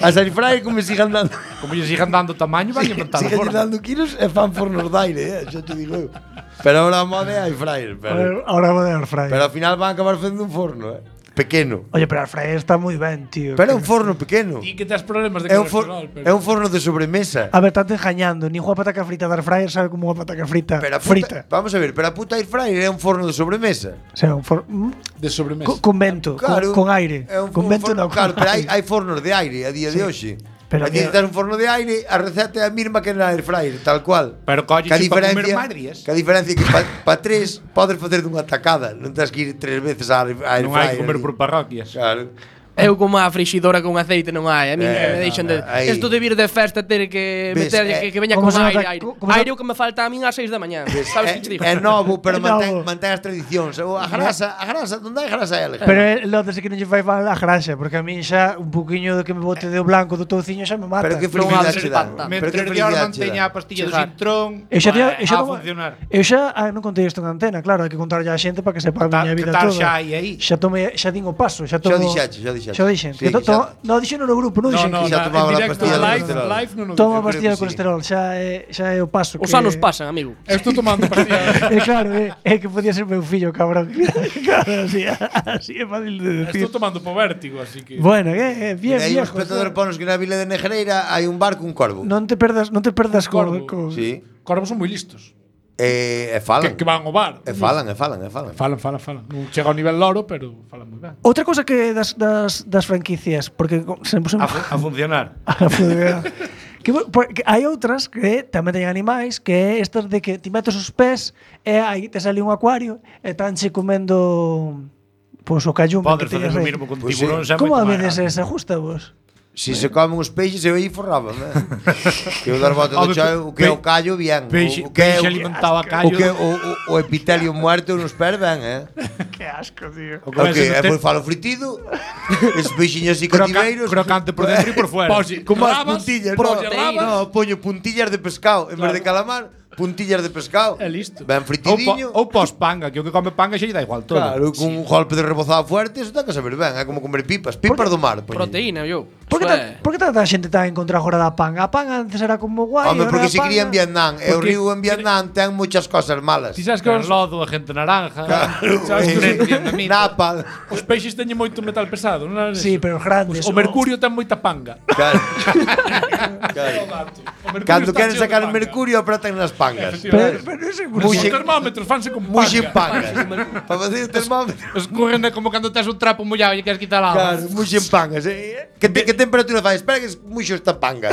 As air fryer como sigan dando. Como lle sigan dando tamaño, van a inventar o Sigan forno. dando kilos e fan fornos de aire, eh, xa te digo eu. Pero ahora a moda é air fryer, pero Ahora vou de air fryer. pero ao final van a acabar facendo un forno, eh. Pequeno. Oye, pero air fryer está moi ben, tío. Pero é un forno pequeno. Ti que tes problemas de É un, for, colesterol, pero... é un forno de sobremesa. A ver, estás engañando. Ni unha pataca frita de air fryer sabe como unha pataca frita Pero a frita. puta, vamos a ver, pero a puta air fryer é un forno de sobremesa. O sea, un for... mm, de sobremesa. co- con vento, Claro. con, con aire. É un, con un vento forno, no, con claro, pero hai, aire. hai fornos de aire a día de hoxe. Pero Aquí que- necesitas un forno de aire, a receta é a mesma que na air fryer, tal cual. Pero colle Que a para comer diferencia, madries. que a diferencia é que para pa tres podes facer dunha tacada, non tens que ir tres veces á air a air Non fryer. hai que comer ali. por parroquias. Claro. Eu como a frixidora con aceite non hai. A mí Eh, que me deixan de... no, no, aí. Isto de vir de festa ter que Ves, meter eh, que, que veña como con se aire, nota- aire. como se- Aire o que me falta a min ás seis da mañá. Sabes que te digo? É novo, pero É mantén, novo. mantén as tradicións. O, A grasa, a grasa, onde hai grasa é elegante. Pero é notase que non lle fai mal a graxa, porque a mí xa un poquinho de que me bote de blanco do touciño xa me mata. Pero que Non felicidade hables che de dá. pata. Pero que Mentre de felicidade Orban che teña dá. a pastilla do Chegar. Sintrón, Eu xa, tío, vai eu xa, a tomo- funcionar. eu xa ah, non contei isto en antena, claro, hai que contarlle á xente para que sepa a Ta- miña que vida tal toda. xa hai aí? Xa tomei, xa din o paso, xa Xa tomo. dixache, xa dixache. Xa dixen. Sí, que to, xa- to, no dixen no grupo, non No, dixen. no, que xa na, tomaba en la directo, pastilla do live, colesterol. live non o Toma Eu creo pastilla que de sí. colesterol, xa é, xa é o paso. Os que- anos pasan, amigo. Eu estou tomando pastilla. É claro, é, é que podía ser meu fillo, cabrón. Claro, así, así é fácil de decir. Estou tomando po vértigo, así que... Bueno, é, é bien, E aí un viejo. espectador ponos que na vila de Negreira hai un bar cun corvo. Non te perdas, non te perdas co, Corvo. co Sí. Corvos son moi listos. E, e falan. Que, que van ao bar. E falan, e falan, e falan. Falan, falan, falan. Non chega ao nivel loro, pero falan moi ben. Outra cosa que das, das, das franquicias, porque co- se me puso A, fu- a funcionar. a funcionar. que, bo- porque hai outras que tamén teñen animais, que é estas de que ti metes os pés e aí te sale un acuario e tanche comendo pois o callume Podes que facer teñas o aí. mismo con Pois sí. tiburóns. é Como a moito máis veces rápido. ese ajusta vos? Si se comen os peixes, eu aí forraba, eh. Que o dar bota do Home, chao, o que é o pe- callo, bien. Peixe, O, o que é peixe o, alimentado a o, callo. que, o, o, o epitelio muerto nos pés, ben, eh. Que asco, tío. O O que que é é por falo fritido, esos peixiños así Croca- cativeiros. crocante por dentro e por fuera. Pois, Como as rabas, puntillas, no, proteínas. no, poño puntillas de pescado en vez de calamar, puntillas de pescado. É listo. Ben Ou, fritidinho. po, ou pos panga, que o que come panga xa lle dá igual todo. Claro, con un golpe de rebozado fuerte, eso ten que saber ben, é como comer pipas, pipas do mar. poñen. Proteína, yo. Por que, Eso ta, é- por que tanta xente está en contra agora da panga? A panga antes era como guai. Home, ahora porque a se cría en panga- Vietnam, e o Porque- río en Vietnam ten muchas cosas malas. Ti sabes que Con os, lodo, a gente naranja. sabes que os, Napa. os peixes teñen moito metal pesado, non é? Sí, pero os grandes. O mercurio ten moita panga. Claro. É o dato. O mercurio Cando está queren cheo de sacar o panga. mercurio, apretan nas pangas. Pero, Efectivamente. pero ese Os Muxe- termómetros fanse con Muxen panga. pangas. Para facer o termómetro. Escurren como cando tes un trapo mollado e queres quitar a Claro, muxen pangas. eh. Que, te, que temperatura fai? Espera que muxo esta panga.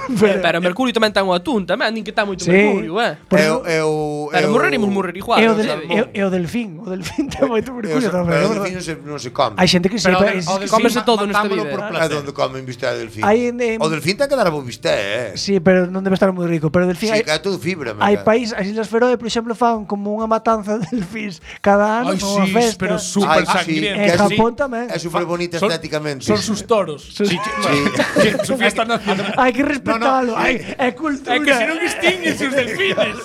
Eh, Pero o mercurio tamén ten o atún, tamén, din que está moito Sí. mercurio, eh. Por Eu, eso- eu, Pero eu- morrerimos morrer igual, é o, non del, sabe? é, é o delfín. O delfín ten moito eu- mercurio tamén. Pero é o verdad. delfín non se, non se come. Hai xente que sí, Pero o pero del- es- o delfín Cómese todo nesta matámolo vida, por eh. É placer. onde come bistec de delfín. Hai en- en- O delfín ten que dar a bo bistec, eh. Sí, pero non debe estar moi rico. Pero o delfín Sí, hai, que é todo fibra, hai meca. país, as Islas Feroe, por exemplo, fan como unha matanza de delfíns cada ano Ai, con unha sí, festa. pero Ai, super sí, sangriento. En que Japón sí, tamén. É super bonita Son- estéticamente. Son sus toros. Sí, sí. Sí, su fiesta nacional. Hai que respetalo. Hai, é cultura. É que se non extinguen os delfines.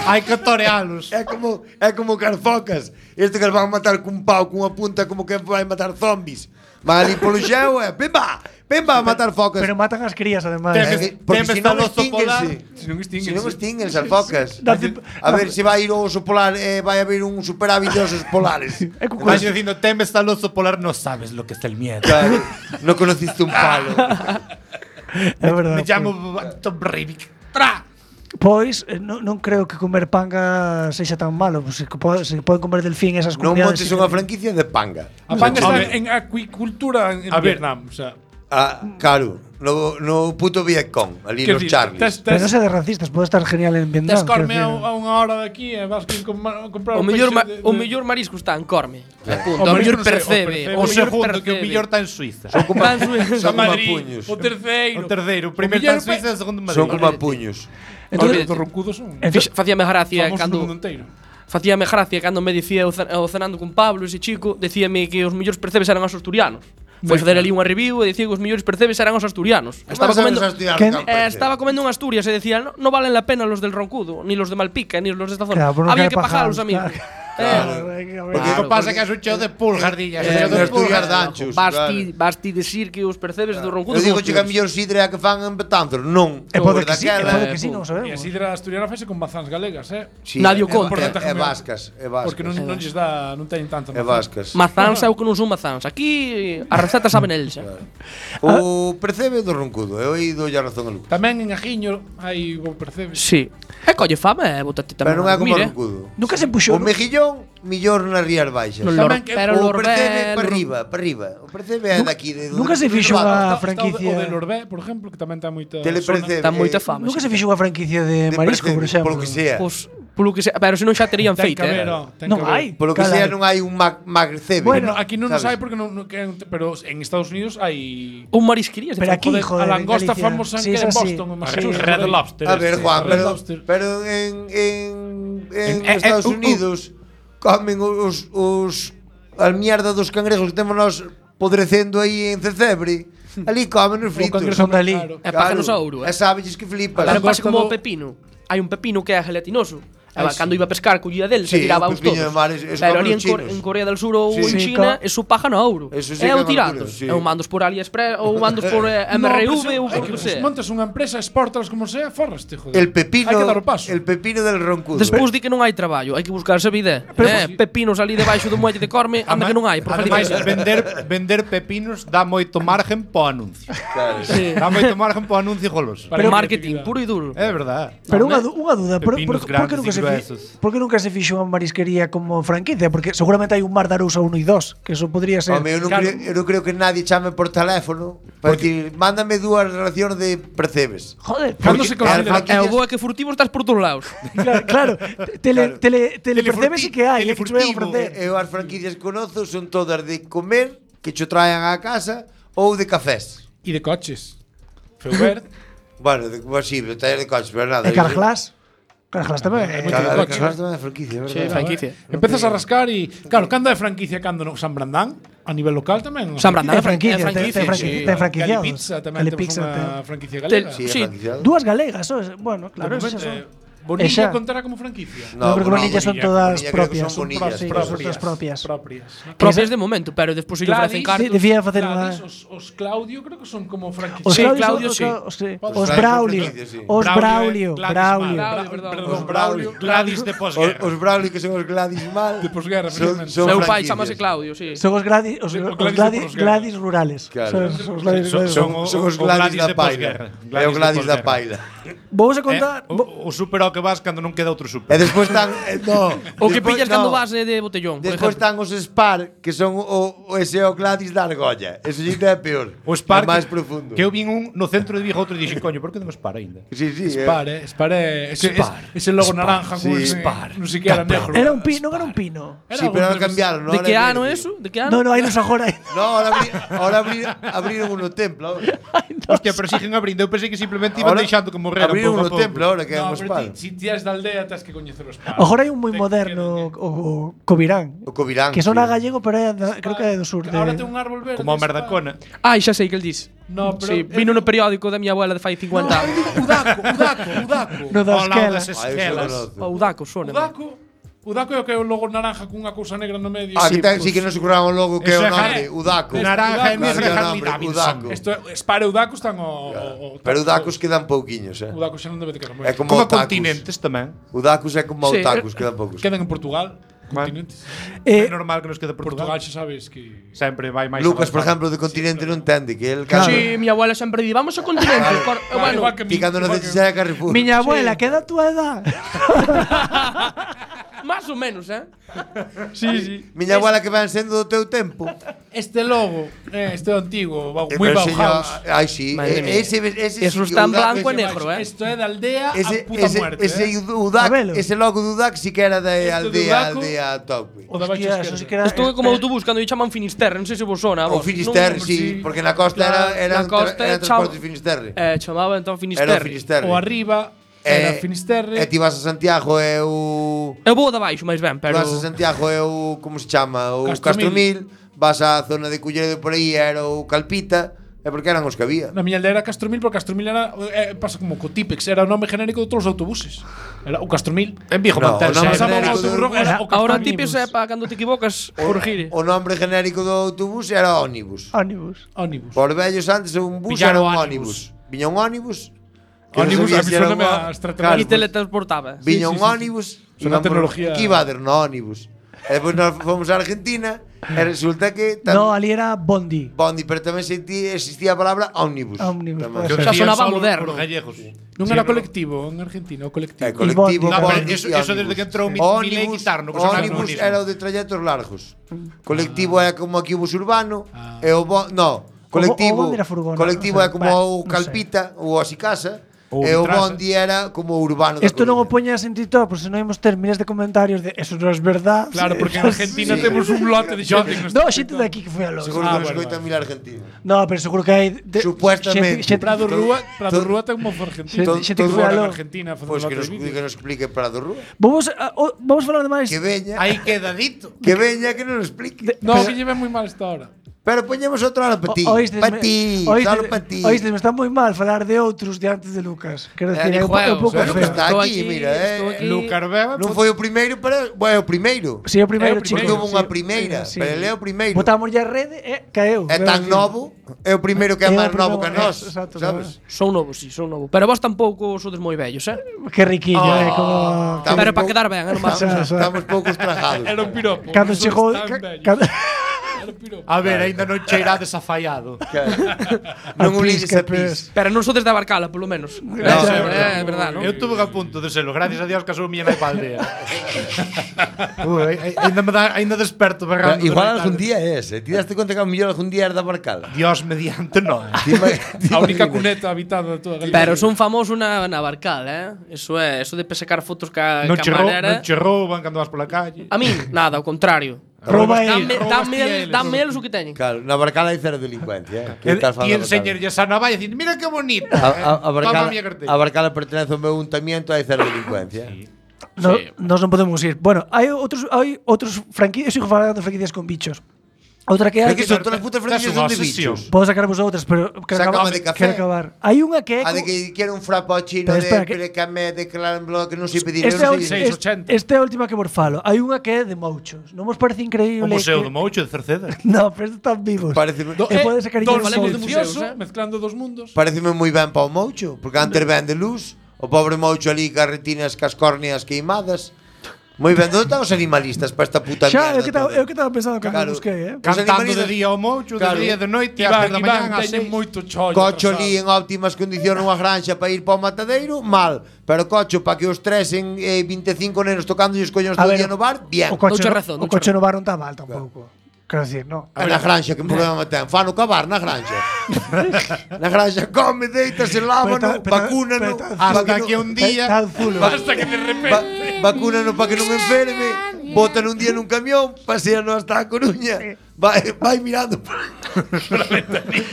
Hai que torealos. É como é como carfocas. Este que os van matar cun pau, cunha punta, como que vai matar zombies. Van ali polo xeo e pimba, pimba a matar focas. Pero matan as crías, además. É Temes- que- porque temes se non tal oso polar. extínguense. Se non extinguen. Se non extinguen as focas. Date- A ver se vai ir o oso polar e vai haber un superávit de osos polares. É como Vas dicindo, temes tal oso polar, no sabes lo que es el miedo. Claro, no conociste un palo. É verdade. Me llamo Tom Breivik. Tra! Pois, eh, non, non creo que comer panga sexa tan malo. Pues, se, pode, se poden comer delfín esas Non comunidades. montes unha franquicia de panga. A panga está Home. en acuicultura en, en A ver. Vietnam. O sea, Ah, claro, no, no puto Vietcong, ali que nos decir, Charlies. tes, Pero tes, non se de racistas, pode estar genial en Vietnam. tes corme quero a, decir. a unha hora de aquí e vas que com, comprar O un mellor, ma, peixe de- o de- mellor marisco está en Corme. O Apunta. O marisco mellor non sei, o percebe. percebe. O mellor segundo, que o percebe. millor está en Suiza. Son como, Está en Suiza. son como a Madrid, puños. o terceiro. O terceiro, o primeiro mellor está en Suiza, o segundo en Madrid. Son como a puños. Entonces, os roncudos son Fix- Facíame gracia famosos no cando mundo inteiro. Facíame gracia cando me dicía o, ce- o cenando con Pablo, ese chico, decíame que os mellores percebes eran os asturianos. Foi facer ali unha review e dicía que os mellores percebes eran os asturianos. Estaba comendo eh, estaba comendo en Asturias e decía, no, no valen la pena los del Roncudo, ni los de Malpica, ni los de esta zona. Claro, Había que pagarlos, amigo. Claro. Porque o que pasa é que é un cheo de pulgardillas. Eh, de en Asturias danchos. Basti, basti decir que os percebes do Roncudo. Eu digo che que a mellor sidra é a que fan en Betanzos, non. E pode que sí, Daquela- pode que sí, non E a sabemos. sidra asturiana fese con mazás galegas, eh? Sí, Nadie o é- conta. É, é vascas, é vascas. Porque non, non lles dá, non teñen tanta É vascas. Mazans é o que non son mazans. Aquí a receta saben eles. eh. O percebe do roncudo, eu aí dou a razón a Lucas. Tamén en Ajiño hai bo percebes. Sí. E colle fama e botate tamén. Pero non é como o Mire, roncudo. Nunca se puxou. O mejillón, millor nas rías baixas. No Tamén lor, que- pero O Lorbé, percebe para Lor- arriba, para arriba. O percebe é daqui de nunca se fixo a unha Está- está franquicia. O de Lorbé, por exemplo, que tamén ten moita Telepercebe. Ten moita eh, fama. Nunca sí. se fixo unha franquicia de, de marisco, por percebe, exemplo. Polo que sea. Pois, polo que sea, pero se non xa terían Ten feito, que haber, eh. oh, ten Non que haber. hai. Polo que Cala sea aí. non hai un mag magrecebe. Bueno, No, aquí non nos sabes? hai porque non, non que, pero en Estados Unidos hai Un marisquería. se Pero fai. aquí, joder, a langosta en Galicia. famosa Sí, que es en así. Boston, en Red Massachusetts. Red por aí. Lobster. A ver, este. Juan, Red pero, Lobster. pero en, en, en, En- Estados eh, eh, uh, uh. Unidos comen os, os a mierda dos cangrejos que temos nós podrecendo aí en Cecebre. Ali comen os fritos. cangrejo Son dali. claro. É páganos a ouro, E eh. sabes que flipas. Pero pasa langosta como do- o pepino. Hai un pepino que é gelatinoso. E Ai, va, sí. cando iba a pescar, collía del, se Sí, tiraba o os pepiño todos. de mar, es- es Pero como ali os en, Cor- chinos. en Corea del Sur ou Sí. en Sí, China, co- eso paja no ouro. Eso sí é que o é tirando. locura, sí. É o mandos por AliExpress ou mandos por eh, M R V ou Hai por que que sea. montas unha empresa, exportas como sea, forraste, joder. El pepino, Hai que dar o paso. el pepino del roncudo. Despois di que non hai traballo, hai que buscarse vida. Eh, pepinos ali debaixo do muelle de Corme, anda que non hai, por Ademais, felicidade. vender, vender pepinos dá moito margen po anuncio. Claro. Sí. Dá moito margen po anuncio goloso. Para Pero a marketing creatividade. puro e duro. É verdad. Pero Non, unha, eh? du- unha dúda, por, por, Pepinos por, que grandes nunca e se gruesos. fi, por que nunca se fixo unha marisquería como franquicia? Porque seguramente hai un Mar de Arousa uno e dos, que eso podría ser. Home, eu non, Claro. creo, eu non creo que nadie chame por teléfono para decir, mándame dúas racións de percebes. Joder, Cando Porque se considera as E o franquicias- bo é que furtivo estás por todos lados. claro, claro. Tele, Claro. tele, tele percebes sí que hai, é que te voy a Telefurtivo. ofrecer. E eu as franquicias que conozo son todas de comer, que cho traen á casa, ou de cafés. E de coches. Feubert. Bueno, de, pues, sí, de taller de coches, pero nada. E Carglass. Carglass tamén. É eh. moito de Cada coche. Carglass tamén é franquicia, é verdad. Sí, franquicia. Empezas a rascar e claro, cando é franquicia, cando non San Brandán, a nivel local tamén. San Brandán Ten franquicia, é ten- ten franquicia, franquicia, sí. ten franquiciados. Calipizza tamén temos Calipizza, unha ten- franquicia Tel- galega. Sí, é Sí. franquiciado. Dúas galegas, sos. Bueno, claro, De esas momento, son. eh, Bonilla Esa- contará como franquicia. No, creo que bueno, Bonilla son Bonilla- todas Bonilla creo que propias. son bonillas sí, propias. son todas propias. Propias. Propias de momento, pero despois ellos Gladys, facen cartos. Sí, decía facer Gladys, unha- os, os Claudio creo que son como franquicia. Os Sí, Claudio, Claudio, os, sí. os, sí. Os os Claudio Braulio, franquicia, sí. os Braulio, Braulio, Gladys Braulio. Mal. Bra- perdón. perdón, Os Braulio. Gladys de Os, posguerra. os Braulio que son os Gladys mal. De posguerra, son, precisamente. son Meu pai franquicias. chamase Claudio, sí. Son os Gladys, os, Sí, os os Gladys Gladys, de posguerra. Gladys rurales. Claro. Son, son os Gladys, Son- Gladys son rurales. Son os O Gladys Gladys da de paila. posguerra. É o Gladys de Gladys da posguerra. paila. Vamos a Eh, contar. o, vo- o super ao que vas cando non queda outro E super. despois están eh, no, O que despois- pillas no. cando vas eh, de botellón, por Despois exemplo. están os Spar, que son o, o ese é o Gladys da argolla. Eso sí que é peor. O Spar é máis que- profundo. Que eu vin un no centro de Vigo outro e dixen, coño, por que non Spar aínda? Sí, sí, Spar, eh. eh. Spar é ese, Spar. ese logo Spar. naranja con Sí. ese, Spar. non siquiera negro. Era un pino, non era un pino. Era Sí, algo pero ahora entre- cambiaron, ¿no? De Ahora que é ano verde. é eso? De que ano? No, no, hai nos agora. No, ahora, abri, ahora abrir, abriron uno templo. Ahora. Hostia, pero siguen abrindo. Eu pensei que simplemente iban Ahora deixando que morreran abriron pouco a uno pouco. templo ahora que é No, un pero Spar. ti, si ti és da aldea, tens que coñecer o Spar. Agora hai un moi Ten- moderno, ten- o, o Covirán. O Covirán. Que sona sí. gallego, pero é da, creo que é do sur. De... Ahora ten un árbol verde. Como a Spar. Merdacona. Ai, xa sei que el dis. No, pero Sí, vino no periódico da miña abuela de fai cincuenta anos. Udaco, Udaco, Udaco. No da Ao lado esquela. das Ah, eu esquelas. só conozco. O Udaco, sona. Udaco. Udaco é o que é o logo naranja cunha cousa negra no medio. Ah, Sí, que ten, pues- sí que non se curaban logo que é Eso o é nombre, ja- Udaco. Naranja e Udaco, negra sí, Harley nombre, Davidson. Udaco. Esto é Spar e Udaco están o, o, o Pero Udacos quedan pouquiños, eh. Udaco xa non debe de quedar moi. É como Como Otakus. continentes tamén. Udacos é como Sí, Otakus, quedan poucos. Quedan en Portugal. Continentes. Eh, É normal que nos quede Portugal Portugal. xa sabes que Sempre vai máis Lucas, por avanzado. exemplo, de continente non entende que el Claro. cando Sí, miña abuela sempre di, vamos ao continente. Cor- Claro, bueno, igual que ti cando igual que- necesitas a Carrefour. Miña abuela, que é da túa edad. más ou menos, eh? Sí, sí. Miña abuela que van sendo do teu tempo. Este logo, eh, este antigo, ba- Eh, moi pero señor, Bauhaus. Ai, sí. Madre eh, mía. Ese, ese, Eso sí, está en Udaco, blanco e ese- negro, eh? Esto é da aldea Ese, a puta ese, muerte. ese, eh. Udac, Sabelo. ese logo do Udac sí que era da Este do aldea, Udaco- aldea Topi. O da baixo Hostia, eso sí que esquerda. era. Isto é como autobús cando lle chaman Finisterre, non sei se vos sona a O vos. Finisterre, non, sí, sí. porque na costa Claro, era, era, na costa era é transporte chao- Finisterre. Eh, chamaba entón Era o Finisterre. Finisterre. O arriba era Finisterre. E ti vas a Santiago é o... Eu vou da baixo máis ben, pero Vas a Santiago é o... Como se chama? O Castromil. Castromil. vas á zona de Culleredo por aí era o Calpita, é porque eran os que había. Na miña aldea era Castromil, porque Castromil era eh, pasa como co Típex, era o nome genérico de todos os autobuses. Era o Castromil. En Vigo No, manterse. o nome Pasaba genérico o autobús, do- era o Ahora o Castromil. tipos é para cando te equivocas, corregir. O nombre genérico do autobús era ónibus. Ónibus. Ónibus. Por vellos antes un bus Pillaron era un ónibus. ónibus. Viña un ónibus. que non Ónibus, sabía a mí si era suéname un ó- a extraterrestre. Claro, E pues, teletransportaba. viña sí, un sí. ónibus. Son a íbamos- tecnología. Que iba a der no ónibus. E depois nós fomos a Argentina e resulta que tam- No, ali era Bondi. Bondi, pero tamén sentí, existía a palabra ómnibus. Ómnibus, Tamén. pode Xa ser. sonaba Solo moderno. Os gallegos. Non Sí, era pero- colectivo en Argentina, o colectivo. É, colectivo, Bondi, No, pero Bondi eso, e eso desde ónibus. que entrou mi, Milei Ónibus, quitarno, que ónibus era o de trayetos largos. Colectivo é como aquí o bus urbano e o bo, no, colectivo. o Bondi era furgona, colectivo non é sei. como Bah, o non Calpita ou o Asicasa Ou e o Vitrasa. Bondi era como o urbano da Esto non o Coruña. poñas en TikTok, porque senón imos ter miles de comentarios de eso non es verdad. Claro, porque en Argentina Sí. temos un lote de xente que nos No, xente de aquí que foi a los. Seguro Ah, que nos bueno, escoitan mil argentinos. No, pero seguro que hai de, Supuestamente. xente- xente- Prado Rúa, Prado to- Rúa ten un mozo argentino. Xente- to- xente que todo foi Fora a en lo. Argentina facendo Pois que lote nos, de vídeos. que nos explique Prado Rúa. Vamos a, o- vamos falar de máis. Que veña, Aí queda dito. que veña que nos explique. No, Pero- que lleve moi mal esta hora. Pero poñemos outro hora para ti. O- oístes- Para ti, oístes- solo para ti. Oístes, me está moi mal falar de outros de antes de Lucas. Quero Eh, decir, é un, dijo po- é un eu, pouco pero feo. está Estou aquí, aquí, mira, eh. estou aquí. Lucar Beba. Non foi o primeiro, pero bueno, é o primeiro. Si, é o primeiro, É o chico. Porque houve unha sí, primeira, sí. pero ele é o primeiro. Botamos ya a rede e caeu. É Veo tan que- novo, é o primeiro que é É o máis novo primeiro, que nós, é, exacto, sabes? Son novos, sí, son novos. Pero vos tampouco sodes moi vellos, eh? Que riquillo, Oh, eh, como estamos Pero para pouco- quedar ben, eh, non Estamos, Xa, xa. estamos pouco estragados. Era un piropo. cando non chegou son tan ca- vellos. cando Era un piropo. A ver, aínda non cheirades afaiado. Non A unides pis, que a pis. Pero non sodes da Barcala, polo menos. No, Eso no, é verdad, non? Eu tuve a punto de serlo, gracias a Dios casou miña nai pa aldea. Ui, ai- aínda me dá, aínda desperto berrando. Igual durante algún a- día é ese. Ti daste conta que a mellor algún día era da Barcala. Dios mediante, non. eh. Ti ima- ti A única imaginas. cuneta habitada de toda Galicia. Pero son famoso na, na Barcal, eh? Eso é, eso de pesecar fotos ca, Non ca che, rou, manera. non che rouban cando vas pola calle. A min, nada, ao contrario. Rouba Dame, el. dame, ti el, eles. dame eles o que teñen. Claro, na Barcala hai cero delincuencia, eh. Que El, estás ti falando da Barcala. enseñarlle esa navalla e dicir, mira que bonita. A, a, a, Toma Barcala, a miña carteira. a Barcala pertenece ao meu ayuntamiento, hai cero delincuencia. Sí. no, Sí. Nos non podemos ir. Bueno, hai outros hai outros franquicias, eu sigo falando de franquicias con bichos. Outra que hai É que que son todas as putas franquicias son de obsesión. bichos. podo sacarvos outras, pero quero Sácame acabar, de café. quero acabar. Hai unha que é A de co- que quiero un frappuccino Pero de espera, que- precamé de clamblo que non sei pedir. Esta é, eu a non ulti- sei- seis, es- ochenta. esta é a última que vos falo. Hai unha que é de mouchos. Non vos parece increíble? O Museo que... do Moucho de Cerceda. No, pero estos están vivos. Parece Do, E pode ser cariño dos de falemos de museos, museoso, eh? mezclando dos mundos. Pareceme moi ben pa o moucho, porque antes ben de luz, o pobre moucho ali cas retinas cas córneas queimadas. Moi ben, onde están os animalistas para esta puta Xa, mierda? eu que estaba, toda? eu que estaba pensando cando Claro. busquei, eh. Os Cantando de animalistas- día ao Moucho, de Claro. día de noite, Iván, ás tres da Iván, mañá, ás teñen seis. moito chollo. Cocho atrasado. ali en óptimas condicións nunha granxa para ir para o matadeiro, mal. Pero cocho para que os tres en eh, vinte e cinco nenos tocando os coños A todo o ver, día no bar, bien. O coche, Douche no- razón, o douche coche no bar non está mal tampouco. Quero decir, no. É na granxa, que problema ten? Fano cavar na granxa. Na granxa come, deítase, lávano, Pero ta- pero- vacúnano. pero ta- Hasta para que no- un día Tan zulo. Hasta que de repente. Va, vacúnano para que non me enferme, botan un día nun camión, paseano hasta a Coruña, vai, vai mirando por,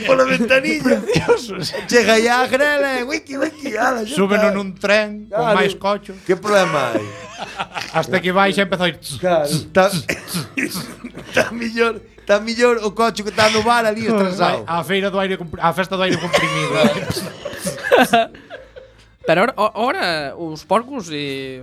pola ventanilla. Chega aí a grela, wiki, wiki, ala, xa súbeno está. nun tren con Claro. máis cocho, Que problema hai? hasta que vai xa empezou a ir. Claro, está, está millor, está millor o coche que está no bar ali Vai estrasado. á feira do aire compri- á festa do aire comprimido. Pero ahora, ahora os porcos e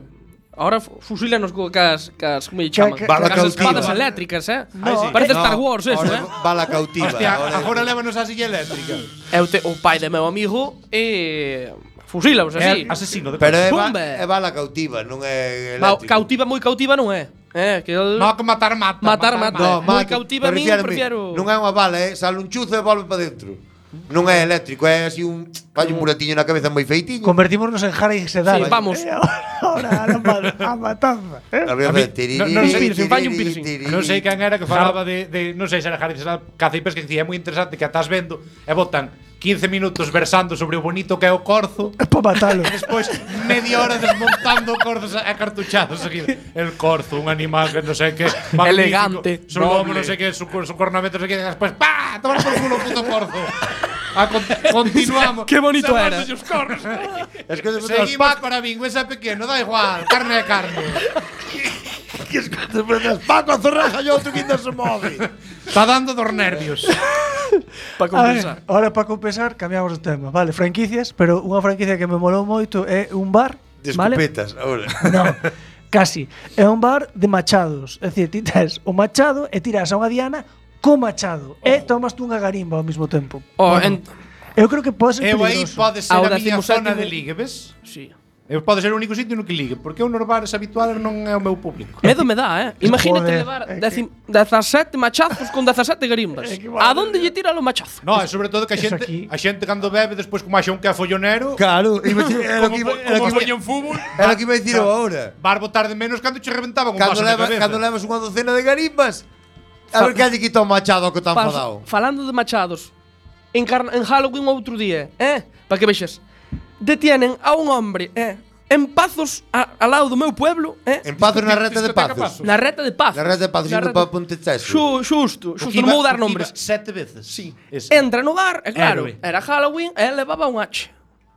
ahora fu- fusílanos co cas, cas como lle Ca- chaman? ca- Bala Cas espadas cautiva. eléctricas, eh? Ai, sí. Parece No, Star Wars eso, ahora eh? Bala cautiva. Hostia, ahora- agora lévanos á silla eléctrica. É o, te, o pai de meu amigo e fusílaos así. É asesino de Pero é, ba, Pumba. é bala cautiva, non é Ma, eléctrico. cautiva moi cautiva non é. Eh, que el No, que matar mata. Matar, mata. No, Moi mato, cautiva a min, refírame, prefiero- Non é unha bala, é sale un chuzo e volve para dentro. Non é eléctrico, é así un fai un muratiño na cabeza moi feitinho. Convertímonos en Harry Sedal. Sí, vamos. Eh, ahora, ahora, a ma- a matanza. Eh? A ver, A mí- tiriri, no- non sei, piercing, falle un tiriri, piercing. tiriri. Non sei quen era que falaba de, de non sei se era Harry César caza e pesca, que dicía, é moi interesante que atás vendo e botan quince minutos versando sobre o bonito que é o corzo. Para matalo. E despois media hora desmontando corzos e cartuchados seguido. El corzo, un animal que non sei que magnífico, Elegante, su lomo, noble. non sei que, su, su cornamento, non sei que, e despois ¡pah! Tomar por culo o puto corzo. A con, continuamos. Qué bonito era. Os corros. Es que despois Seguimos para bingo, ese é pequeno, da igual, carne é carne. que escoitas, Paco, a zorraja e outro que ainda se move. Está dando dos nervios. Para A ver, compensar. ahora para compensar, cambiamos de tema. Vale, franquicias, pero unha franquicia que me molou moito é un bar, De vale? escopetas, ahora. No, casi. É un bar de machados. É dicir, ti tes o machado e tiras a unha diana co machado. E tomas tú unha garimba ao mesmo tempo. Oh, Bueno, en... eu creo que pode ser Eu aí peligroso. pode ser Ao a miña décimo zona sétimo- de ligue, ves? Sí. Eu pode ser o único sitio no que ligue, porque eu nos bares habituales non é o meu público. Medo me dá, eh? Imagínate Joder, levar é que- decim- dezasete machazos con dezasete garimbas. É que A madre donde lle tira o machazo? No, é sobre todo que a Eso xente, aquí. a xente cando bebe despois como axa un que é follonero, Claro, iba a decir- era o como, que iba- como, era o que iba- poñen fútbol, era o que iba a dicir eu agora. vas botar de menos cando che reventaban un Cando vaso na levas, cabeza. cando levas unha docena de garimbas, a ver que lle quita o machado ao que está Pa- enfadado. falando de machados, en, carna, en Halloween outro día, eh? Para que vexas. Detienen a un hombre, eh? En Pazos, a, al lado do meu pueblo, eh? En Pazos na reta de Discoteca Pazos. Pazos. Na reta de Pazos. Na reta de Pazos, Na indo reta- para Ponteceso. Xu, xusto, O xusto, que non iba- vou dar o que nombres. iba Sete veces. Sí. Ese. Entra no bar, e claro, Héroe. era Halloween, e levaba un hacha.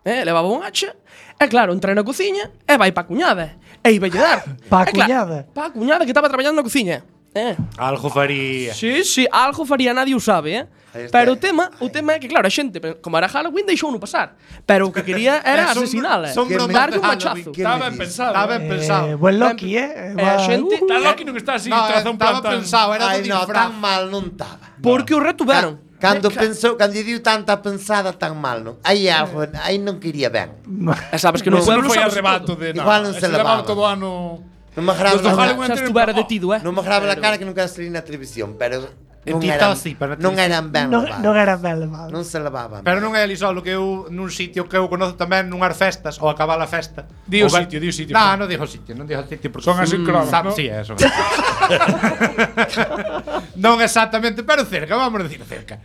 Eh, levaba un hacha, e claro, entra na cociña, e vai pa cuñada. E iba lle dar. Pa E claro, cuñada? Pa cuñada que estaba traballando na cociña. Eh. Algo faría. Sí, sí, algo faría, nadie o sabe, eh? Ahí está. Pero o tema, o tema é que claro, a xente, como era Halloween, deixou no pasar. Pero o que quería era Eh, son- asesinala, son eh. bromas Darlle de un Halloween, machazo. que- Está me ben dis? pensado. Está ben eh. pensado. Eh, buen Loki, eh? E a xente, Está Loki non está así, No, traza un plan estaba tan... pensado, era Ai, do no, disfraz. tan mal non estaba. porque o retuveron. Cando pensou, cando lle diu tanta pensada tan mal, non? Aí algo, aí non quería ben. E sabes que no Eso non pueblo foi sabes arrebato todo. de... Igual non ese se levaba levaba. todo o ano... Non me agrada Los do la- Halloween Xa estuvera detido, eh? Non me agrada a cara que non quero salir na televisión, pero non ti eran, está así, para na non eran ben Non, levados. non era ben levado. Non se levaban. Pero non é ali solo que eu nun sitio que eu conozo tamén nunhas festas ou acabar a festa. Di o Ou ben- sitio, di o sitio. No, non digo sitio, non digo sitio porque Son así cromos, sabe, ¿no? Sí, eso. Non exactamente, pero cerca, vamos a decir cerca.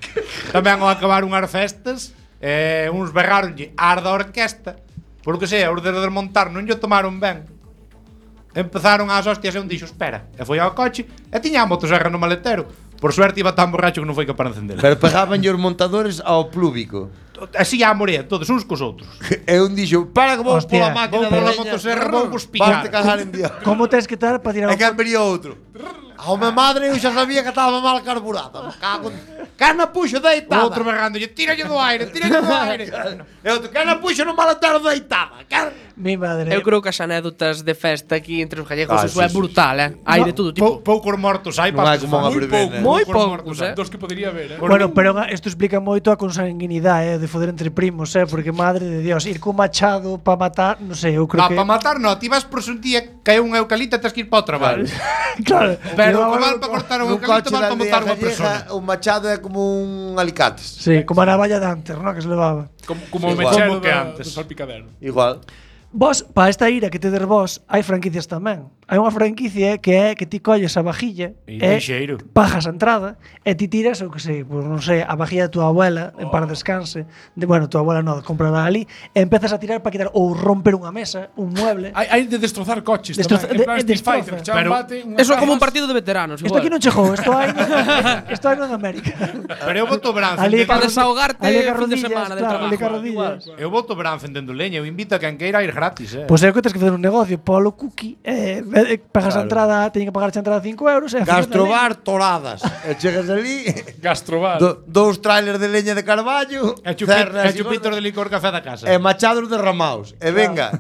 Tamén ao acabar unhas festas, eh, uns berraronlle ar da orquesta, por lo que sea, os de desmontar non lle tomaron ben. Empezaron as hostias e un dixo, espera, e foi ao coche e tiña a motosserra no maletero. Por suerte iba tan borracho que non foi capaz de encender. Pero pegaban os montadores ao plúbico. Así a morea, todos uns cos outros. E un dixo, para que vou Hostia, pola máquina Vou da pola leña. motosserra, vou vos Vas picar. te cagar en Dios. Como tens que estar para tirar E o quen vería outro? A mi madre eu xa sabía que estaba mal carburada. Me cago en... Cana puxo deitada. Outro berrándolle, tíralle do aire, tíralle do aire. E outro, cana puxo no maletero deitada. Can... Mi madre. Eu creo que as anécdotas de festa aquí entre os gallegos Ah, eso sí, é sí, brutal, eh? Hai de todo tipo. Pou, poucos mortos hai Non para hai como unha Moi verbena. pouco, Moi poucos poucos, mortos, eh. Dos que podría haber, eh. Bueno, pero isto explica moito a consanguinidade, eh, de foder entre primos, eh, porque madre de Dios, ir co machado para matar, non sei, eu creo No, que para matar no, ti vas por un día cae un eucalipto e tens que ir para o traballo. claro, Pero eu o que agora val non- para cortar un Nun eucalipto coche val da para aldea matar unha gallega, persona. o machado é como un alicates. Sí, como a navalla de antes, ¿no? Que se levaba. Como, como Sí, o igual. mechero Como que da- antes. do salpicadero. Igual. Vos, para esta ira que tedes vos, hai franquicias tamén. Hai unha franquicia que é que ti colles a vajilla E e lixeiro. pagas a entrada e ti tiras, o que sei, pues non sei, a vajilla da tua abuela en para descanse. De, bueno, tua abuela non, comprará ali e empezas a tirar para quitar ou romper unha mesa, un mueble. Hai, hai de destrozar coches Destroza- tamén. En plan de- Street destroza. Fighter, que chaman Pero- bate, unhas Eso é como un armas. partido de veteranos, Isto aquí non chegou, isto hai isto hai en América. Pero eu voto branzo. Ali Para carro- desahogarte ali fin de carrodillas, semana del claro, ali trabajo. carrodillas. Eu voto branzo vendendo leña, eu invito a quen queira a ir gratis, eh. Pois é o que tens que facer un negocio, polo cookie, eh, eh, pagas a Claro. entrada, teñen que pagar a entrada cinco euros e a fin de Gastrobar toradas. E chegas ali, Gastrobar. do, dous trailers de leña de carballo, E chupi- cerras e chupitos de licor café da casa. e machados derramados. E venga.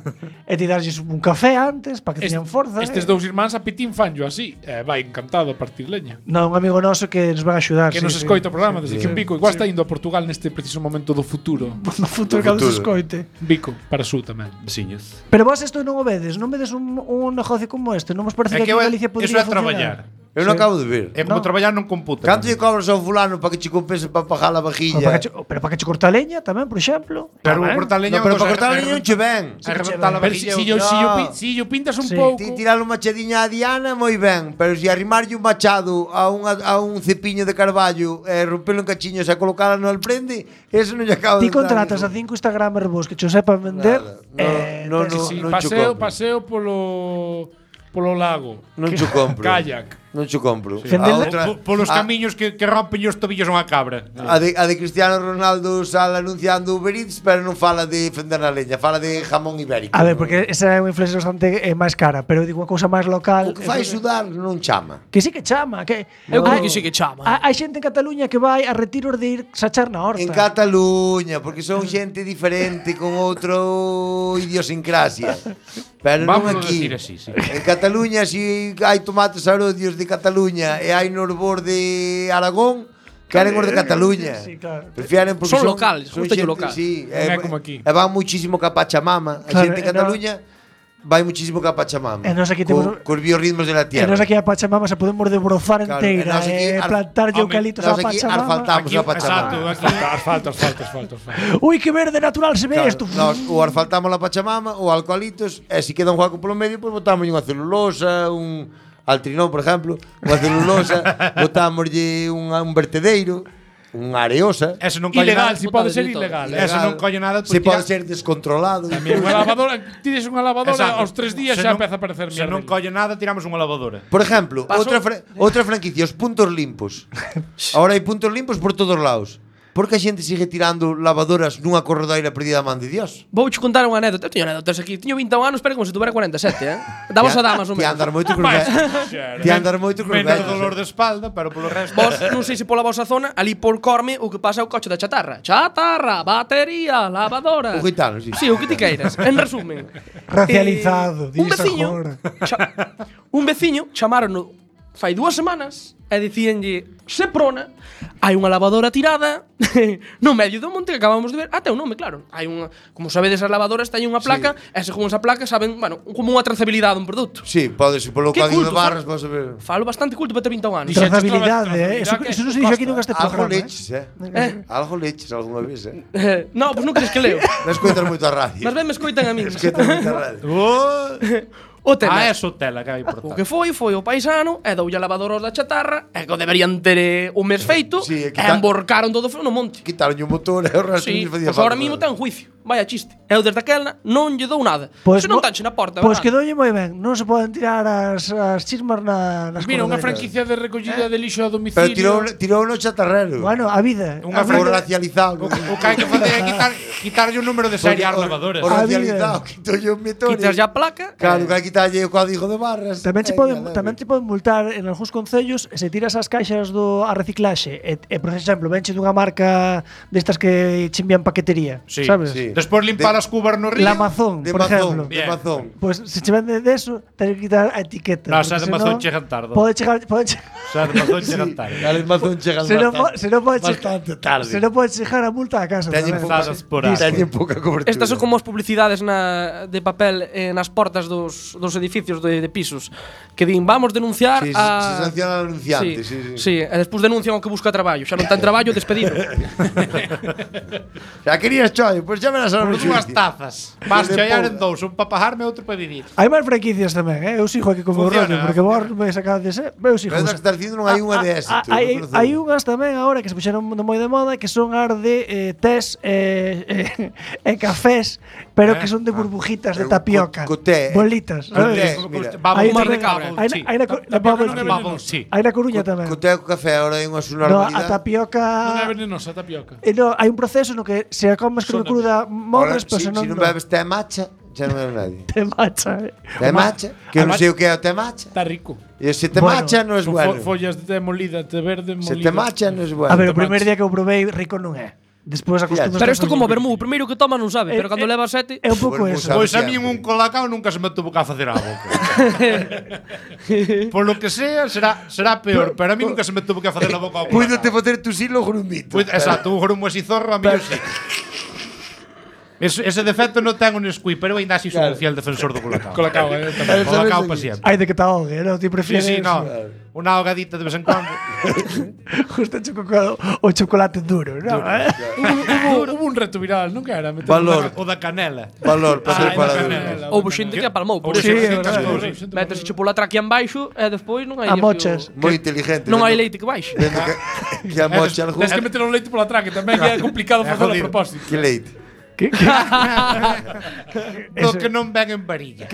E ti darlles un café antes para que Est- teñan forza. Estes eh. dous irmáns a pitín fanjo así. Eh, vai encantado a partir leña. Non, un amigo noso que nos van a axudar. Que sí, nos sí. escoita o programa desde sí. que Vico. Igual está indo a Portugal neste preciso momento do futuro. No futuro No que nos futuro. escoite. Vico, para su tamén. Veciños. Pero vos isto non o vedes, non vedes un, un negocio como este, non vos parece É que que aquí en eu- Galicia eso podría é traballar. Eu non acabo de ver. É como No. traballar non computa. Canto lle cobras ao fulano para que che compense para pagar a Pero vajilla? para que che, pero para que che corta a leña tamén, por exemplo. Pero Tamén. cortar leña No, pero outra para cortar a cosa, leña é non che ven. É reventar a Pero si, vajilla. si, yo, No. si, yo, pi- si yo pintas un Sí. pouco. Ti tirar unha machadiña a Diana, moi ben, pero se arrimarlle un machado a, unha, a un cepiño de carballo e rompelo en cachiños e colocala no alprende, eso non lle acabo Ti de contratas a dar. cinco Instagramers vos que che o sepan vender. Nada. eh, No, tes- no, Sí, non cho paseo, compro. paseo polo polo lago. Non cho compro. Kayak. Non xo compro. Sí. A outra, Po- Polos a- camiños que, que rompen os tobillos unha cabra. A de, a de Cristiano Ronaldo sale anunciando Uber Eats, pero non fala de fender na leña, fala de jamón ibérico. A ver, porque esa é unha influencia bastante eh, máis cara, pero digo unha cousa máis local. O que fai sudar non chama. Que sí que chama, que Eu creo hai- que sí que chama. Hai hai xente en Cataluña que vai a retiros de ir sachar na horta. En Cataluña, porque son xente diferente con outro idiosincrasia. Pero non Vámonos aquí. decir así, sí. En Cataluña, si hai tomates arodios de Cataluña e hai norbor de Aragón, queren os de Cataluña. Sí, claro. Prefieren porque Son son locales, son gústalle xente- local. Sí, Non é como aquí. E van muchísimo ca Pachamama. A Claro, xente en e no- Cataluña vai muchísimo ca Pachamama. E nós aquí Co- temos- cos biorritmos de la E tierra. nós aquí a Pachamama se podemos debrozar Claro, enteira e nós aquí e ar- plantar Home, eucalitos a nós aquí Pachamama. arfaltamos Aquí, a Pachamama. exacto, aquí. Asfalto, asfalto, asfalto, asfalto. Ui, que verde natural se ve Claro, isto. nós ou asfaltamos a Pachamama ou alcoholitos e se queda un hueco polo medio, pois pues, botamos unha celulosa, un altrinón, por exemplo, unha celulosa, botámoslle un, un vertedeiro, unha areosa. Eso non colle Ilegal, nada. si pode ser de todo. ilegal. Eso non colle nada. Se pois pode tira- ser descontrolado. Tamén unha lavadora, tides unha lavadora, Exacto. aos tres días Se xa non- empeza a aparecer Se mierda. non colle nada, tiramos unha lavadora. Por exemplo, Paso- outra fra outra franquicia, os puntos limpos. Ahora hai puntos limpos por todos lados. Por que a xente sigue tirando lavadoras nunha corredoira perdida a man de Dios? Vouche contar unha anécdota. Eu teño anécdotas aquí. Teño vinte e un anos, pero como se tuvera cuarenta e sete, eh? Damos a damas o Ti menos. andar moito con Ti andar moito con Menos dolor de espalda, pero polo resto. Vos, non sei se pola vosa zona, ali por Corme, o que pasa é o coche da chatarra. Chatarra, batería, lavadora. O gitano, sí. Sí, o que ti queiras. En resumen. Racializado, eh, un dis veciño, agora. cha- un veciño chamaron fai dúas semanas e dicíanlle Seprona, hai unha lavadora tirada no medio do monte que acabamos de ver. Ah, ten un nome, claro. Hai unha, como sabedes, as lavadoras teñen unha placa, e según esa placa saben, bueno, como unha trazabilidade dun produto. Sí, podes ir polo Que código de culto, barras, Fran. vas a ver. Falo bastante culto para ter vinte e un anos. Dixeches Trazabilidade, trazabilidade, eh? Eso, que eso non se dixo aquí nunca este Algo programa. eh. leches, eh? Eh? Algo leches algunha vez, eh? Eh, no, pois non crees que leo. Non escoitas moito a radio. Mas ben me escoitan a min. Escoitas moito a radio. O tema. Ah, eso tela que hai por O que foi, foi o paisano e doulle a lavadora aos da chatarra e que o deberían ter eh, un mes feito Sí, e e quita- emborcaron todo o no monte. Quitaronlle o motor e o resto Sí, non facía pois agora falta mismo nada. ten juicio. Vaya chiste. Eu desde aquela non lle dou nada. Pois Se non mo- tanche na porta, Pois verdad? quedoulle moi ben. Non se poden tirar as, as chismas na, nas Mira, unha corredeiras. franquicia de recollida de lixo a Pero domicilio. tirou, tirou no chatarrero. Bueno, a vida. Unha a Foi vida- racializado. O que hai que facer é quitar, quitarlle o número de serie ás lavadoras. O A racializado, quitolle o motor. Quitas ya a placa. Claro, eh, que hai que quitarlle o código de barras. Tamén che Eh, poden, nada, tamén te poden multar en algúns concellos se tiras as caixas do a reciclaxe e, e por exemplo, venche dunha marca destas que che envían paquetería, Sí, sabes? sí. Despois limpar De- as cubas no río. La Amazon, De por mazón, exemplo. de Bien. mazón. Pois se che vende deso, tens que quitar a etiqueta. No, porque xa de senón Amazon chegan tarde. Pode chegar, pode chegar, O sea, de mazón chegan tarde. Gales mazón chegan se non po- bastante, se non pode chegar, bastante tarde. se non pode chegar a multa a casa. Teñen tamén. pouca, Pesadas por aí. teñen pouca cobertura. Estas son como as publicidades na, de papel eh, nas portas dos, dos edificios de, de pisos que din, vamos denunciar Sí, se- a... se sanciona al anunciante, sí, sí. sí, e despois denuncian o que busca traballo. Xa non ten traballo, despedido. Xa querías choio, pois xa verás ahora Por no dúas xuicio. tazas. Vas De chaiar pouca. en dous, un para pajarme e outro para vivir. Hai máis franquicias tamén, eh? Eu sigo aquí como Funciona, rollo, porque vos me sacades, eh? Eu sigo. Pero das que estás dicindo non hai unha de Ah, éxito. ah, Hai, non conozco. hai unhas tamén agora que se puxeron de moi de moda que son as de eh, tés e eh, eh, cafés, pero que son de burbujitas de Eh, tapioca. co- co té. Bolitas, Co sabes? té. Como mira. coste- Bubble Hai tea, unha de bubble cabra. Hai tea. na- hai na co- na Tapioca Bubble non é tea. Bubble tea. Hai na Coruña tamén. Co té co café ahora hai unha No, a sonormalidade. tapioca Non é venenosa a tapioca. eh, no, hai un proceso no que se a comes cruda, cruda Ahora, morres, pero si, se non si non no. bebes té matcha, xa non bebe nadie. te macha. eh. Té matcha, que eu non sei o que é o té matcha. Está rico. E se té Bueno, matcha non é Con bueno. fo follas de té molida, té verde molida. Se té matcha non é bueno. A ver, o te primer macha. día que eu probei rico non é. Despois acostumas. Pero isto como o vermú, o primeiro que toma non sabe, Eh, pero cando eh, leva sete... É un pouco Bueno, eso. sabe Pois a mí sempre. un colacao nunca se me tuvo que facer a boca. Por lo que sea, será será peor, pero a mí nunca se me tuvo que facer a boca ao Puídote colacao. facer tu silo grumito. Pois, exacto, un grumo así zorro, a mí sí. Ese, ese defecto non ten un Nesquik, pero ainda así son un fiel defensor do colacao. Colacao, eh, tamén. Colacao pa siempre. Hai de que te ahogue, non? Ti Sí, prefieres sí, no. Unha ahogadita de vez en cuando. justo chocolate, o chocolate duro, non? Eh? Hubo, hubo un reto viral, non que era? Meter Valor. O da canela. Valor, para ser Ah, para canela. Houve xente que apalmou, por Sí, eso. é verdade. Métese che pola tráquea en baixo e despois non hai... A mochas. Moi inteligente. Non hai vendo- leite que baixe. vendo que, que a mocha algún. Tens que meter o leite pola traque tamén, que é complicado facelo a jodido. propósito. Que leite. Que, que, Do Eso- que non ven en varilla.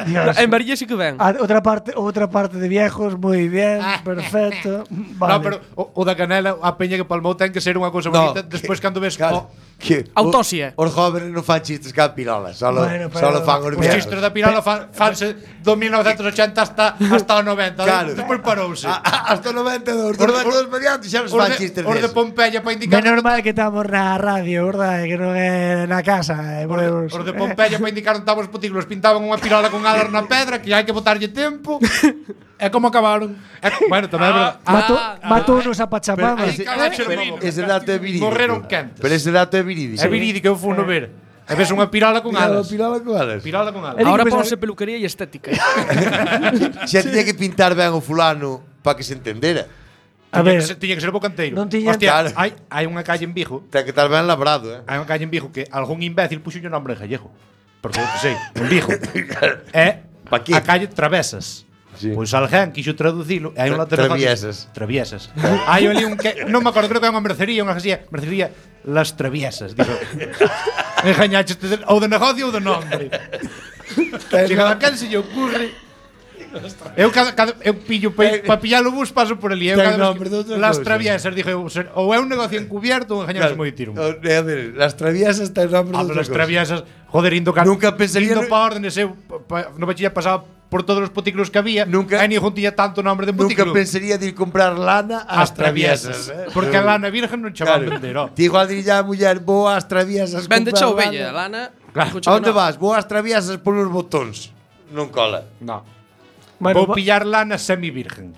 Dios. En varilla sí que ven. Ah, outra parte, outra parte de viejos, moi bien, perfecto. Vale. No, pero o, o da canela, a peña que palmou ten que ser unha cousa No, bonita. Despois cando ves Claro. o, Que Autopsia. o- Os jóvenes non fan chistes ca pirola, solo, Bueno, pero- solo fan os os viejos. chistes da pirola fan, fanse do mil novecentos e ochenta hasta, hasta o noventa. Claro. Despois parouse. A- a- Hasta o noventa e dous, do Os- noventa e dous mediante xa nos Os fan de, chistes os de desos. Pompeya para indicar Menos mal que estamos na radio, verdade? Que non é na casa. Eh, Os de, podemos- os de Pompeya para indicar onde estaban os putículos pintaban unha pirola con alas na pedra que hai que botarlle tempo. É como acabaron. E, bueno, tamén é verdade. Matou, Ah, matou unos a Pachamama. Ese- Pero- Ese dato é verídico. Morreron quentes. Pero ese dato é verídico. É verídico, eu fui no ver. E ves unha pirola con Pirola, alas. pirola con alas. Pirola con alas. Digo, Ahora pues, ponse peluquería e estética. Xa tiña que pintar ben o fulano para que se entendera. A Tiña ver, que ser, tiña que ser bocanteiro. non tiñan- Hostia, Claro. hai, hai unha calle en Vigo, Ten que estar ben labrado, eh. hai unha calle en Vigo que algún imbécil puxo o nombre en gallego. Porque eu que sei, en Vigo. É Pa qué? a calle Travesas. Sí. Pois alguén quixo traducilo e hai unha Tra- traviesas. traviesas. Traviesas. Hai ali un que non me acordo, creo que é unha mercería, unha así, mercería Las Traviesas, digo. Engañaches de, ou de negocio ou de nombre. Que cada quen se lle ocurre. Eu cada, cada eu pillo para pa pillar o bus paso por ali. Eu Ten cada vez nombre de outra que, Las cousa. Traviesas, dije, eu, ser- ou é un negocio encubierto ou engañarse moi tiro. O- é a ver, las traviesas ten nombre Ah, de pero outra las cousa. traviesas, joder, indo ca, Nunca pensaría indo no- pa órdenes, eu pa, pa, no bachiller pasaba por todos os puticlos que había, Nunca- e ni juntía tanto nombre de Nunca puticlo. pensaría de ir comprar lana ás As traviesas, traviesas, eh. porque a lana virgen non chaman Claro. vender, oh. Ti igual diría a muller, vou ás traviesas Vende comprar xa ovella, lana. lana. Claro. dijo A onde que no. vas? Vou ás traviesas por uns botóns. Non cola. No. bueno, Vou va- pillar lana semi-virgen.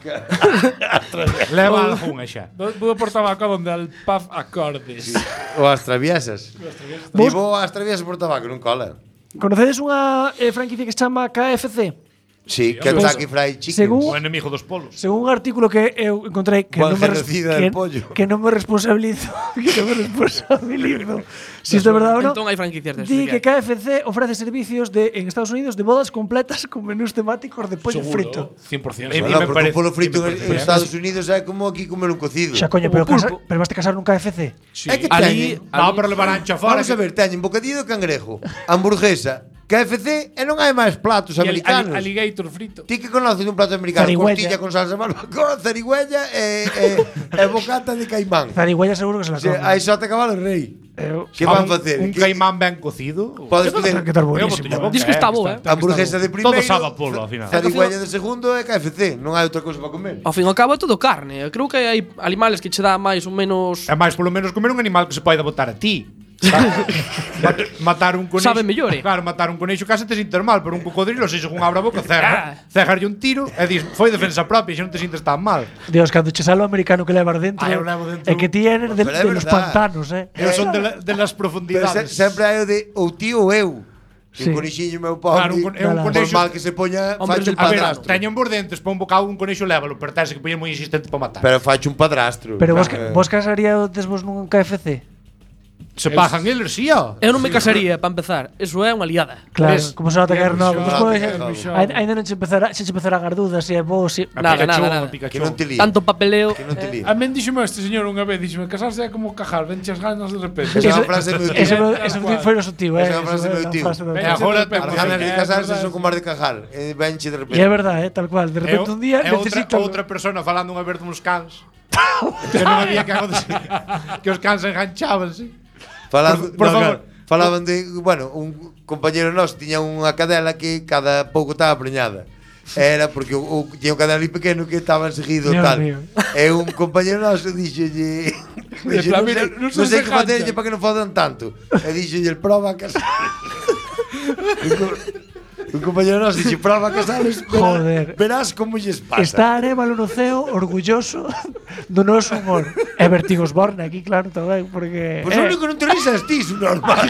Leva algunha xa. Vou por tabaco donde al paf acordes. Ou ás traviesas. Ti vou ás traviesas por tabaco, non cola. conocedes unha eh, franquicia que se chama K F C? Sí, Kentucky Fried Chicken. Según- O enemigo dos polos. Según un artículo que eu encontrei que Juan non me, res- genocida que, del pollo. que non me responsabilizo, que non me responsabilizo si isto é verdade ou non. Entón hai franquicias de Di que K F C ofrece servicios de en Estados Unidos de bodas completas con menús temáticos de pollo frito. cien por ciento. E- Bueno, me porque parece- un polo frito e me en parece- Estados Unidos é como aquí comer un cocido. Xa coño, pero, Como casa, pulpo. pero vas te casar nun K F C. É que Ali, teñen. No, pero levarán xa fora. Vamos a ver, teñen bocadillo de cangrejo, hamburguesa, K F C e non hai máis platos americanos. Alligator frito. Ti que conoces un plato americano? Zarigüeya. Costilla con salsa barbacoa, zarigüeya e, e, e bocata de caimán. Zarigüeya seguro que se la Se, come. aí só te cabalo rei. Eu, Que Ah, van un- facer? Un Que- caimán ben cocido. Podes poder que estar Eu buenísimo. botello boca, Diz que está bo, eh. hamburguesa de primeiro. Todo sabe a polo, ao final. Zarigüeya de segundo e K F C. Non hai outra cousa para comer. Ao fin e ao cabo é todo carne. Eu creo que hai animales que che dá máis ou menos. É máis polo menos comer un animal que se poida botar a ti. Mat- matar un conexo. Sabe mellor, eh. Claro, matar un conexo case te sintes mal, pero un cocodrilo se según abra a boca, cerra, cerrarlle un tiro e dis, foi defensa propia, xa non te sintes tan mal. Dios, cando che sale o americano que levas dentro, Ah, eu levo dentro é que ti eres de, Pero é de los verdad. pantanos, eh. Eu son de, la, de las Pero profundidades. se, sempre hai o de ou ti ou eu. Sí. Un conexiño meu pobre. Claro, un con- é un por conexo- mal que se poña, Hombre facho un del A ver, padrastro. teñen por dentes, pon un bocado un conexo lévalo, pero tense que poñer moi insistente para matar. Pero facho un padrastro. Pero vos, Eh, vos casaríades vos nun K F C? se pagan eles, sí, ó. Eu non me casaría, para empezar. Eso é unha liada. Claro, Ves? como se nota que er novo. Claro, Despois, claro. ai- Ainda non che empezará, se che empezará a gar dudas se é bo, se... A Nada, Pikachu, nada, a nada. Pikachu. Que non te líe. Tanto papeleo. Que non te líe. A men díxome este señor unha vez, díxome, casarse é como cajar, venche as ganas de repente. Esa é Eso- unha frase meu tío. Ese Tal ese cual. foi o sutil, eh. Esa é unha frase Esa meu é a tío. frase do Venga, tío. agora Sempre As te- ganas de É casarse verdade. son como as de cajar. E venche de E é repente. verdade, eh, tal cual. De repente un día é outra, necesito... outra persona falando unha vez duns cans. Que non había que acontecer. Que os cans enganchaban, sí. Falando, Por- por no, favor. claro. Falaban de, bueno, un compañero noso tiña unha cadela que cada pouco estaba preñada. Era porque o, o, tiña un cadela ali pequeno que estaba enseguido Dios tal. mío. E un compañero noso dixolle, dixo, plan, non mira, sei, non non se sei que dejancha. facerlle para que non fodan tanto. E dixolle, el proba a casar. un, co- un compañero noso dixe, proba a casales, Joder. verás como lles pasa. Está Arévalo no ceo orgulloso do noso humor. E Vertigos Borne aquí, claro, tamén, porque... Pois o único que non te risas ti, su normal.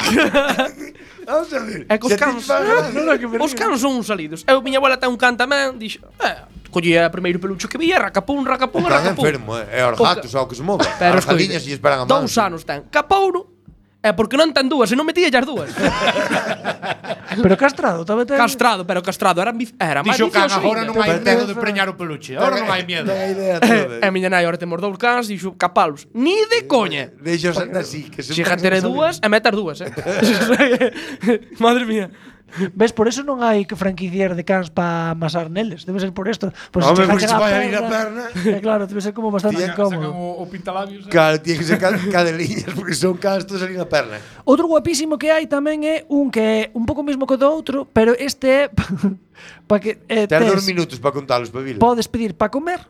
Vamos a ver. É que os se a ti cans, te pagan- No, no, que me os río. cans son uns salidos. Eu, miña abuela ten un can tamén, dixo, eh, collía o primeiro pelucho que vía, racapún, racapún, Están racapún. enfermo, eh. É os O gatos, ca- ao que se move. Pero As galiñas escoite, se esperan a dous man. anos ten. Capouro, é porque non ten dúas, e non metía as dúas. Pero castrado, tamén ten... Castrado, pero castrado. Era, ambi- era máis Dixo que vicioso. agora non hai Pero- medo de preñar o peluche. Agora non hai miedo. Ten a idea toda. E miña nai, ahora temos dous cans, dixo capalos. Ni de coña. Deixos así, que se Xiga tere dúas e meter dúas, eh. Madre mía. Ves, por eso non hai que franquiciar de cans para amasar neles. Debe ser por isto. Pues Home, chega- porque chega se vai a ir a perna. Eh, claro, debe ser como bastante Tía, Sacan incómodo. o, o pintalabios. eh. Claro, tiene que ser ca- cadeliñas, porque son castos ali na perna. Outro guapísimo que hai tamén é un que é un pouco mismo que o do outro, pero este é para que eh, Ten tes- dos minutos para contalos, Pavila. podes pedir para comer,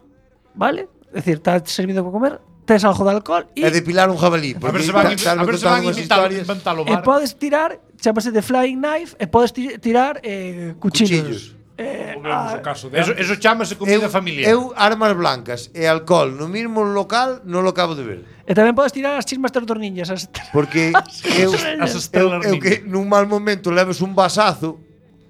vale? É dicir, está servido para comer, tes algo de alcohol e É depilar un jabalí. A ver porque se van, ta- a ver se van contando unhas imitar, historias. inventar o E bar. podes tirar, chamase de flying knife, e podes ti- tirar eh, cuchillos. Cuchillos. Eh, Volvemos ah, ao caso de Eso, antes. eso chámase comida Eu, familiar. eu armas blancas e alcohol no mesmo local non lo acabo de ver. e tamén podes tirar as chismas das dorniñas. As... Porque eu, As eu, Stellar eu que nun mal momento leves un vasazo,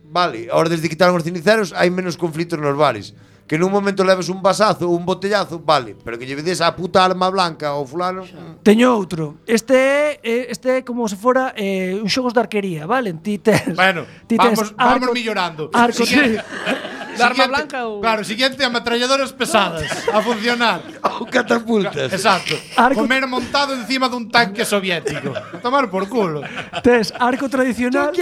vale, ahora desde que quitaron os ceniceros hai menos conflitos nos bares. Que nun momento leves un vasazo ou un botellazo, vale, pero que lle vedes a puta arma blanca ou fulano. mm, Teño outro. Este é eh, este é como se fora eh, un xogos de arquería, vale? Ti tes, Bueno, ti tes vamos, vamos millorando. Arco, Siguiente- De arma siguiente- blanca ou- Claro, siguiente ametralladoras pesadas a funcionar. Ou catapultas. Exacto. Arco- Comer montado encima dun tanque soviético. Tomar por culo. tes arco tradicional.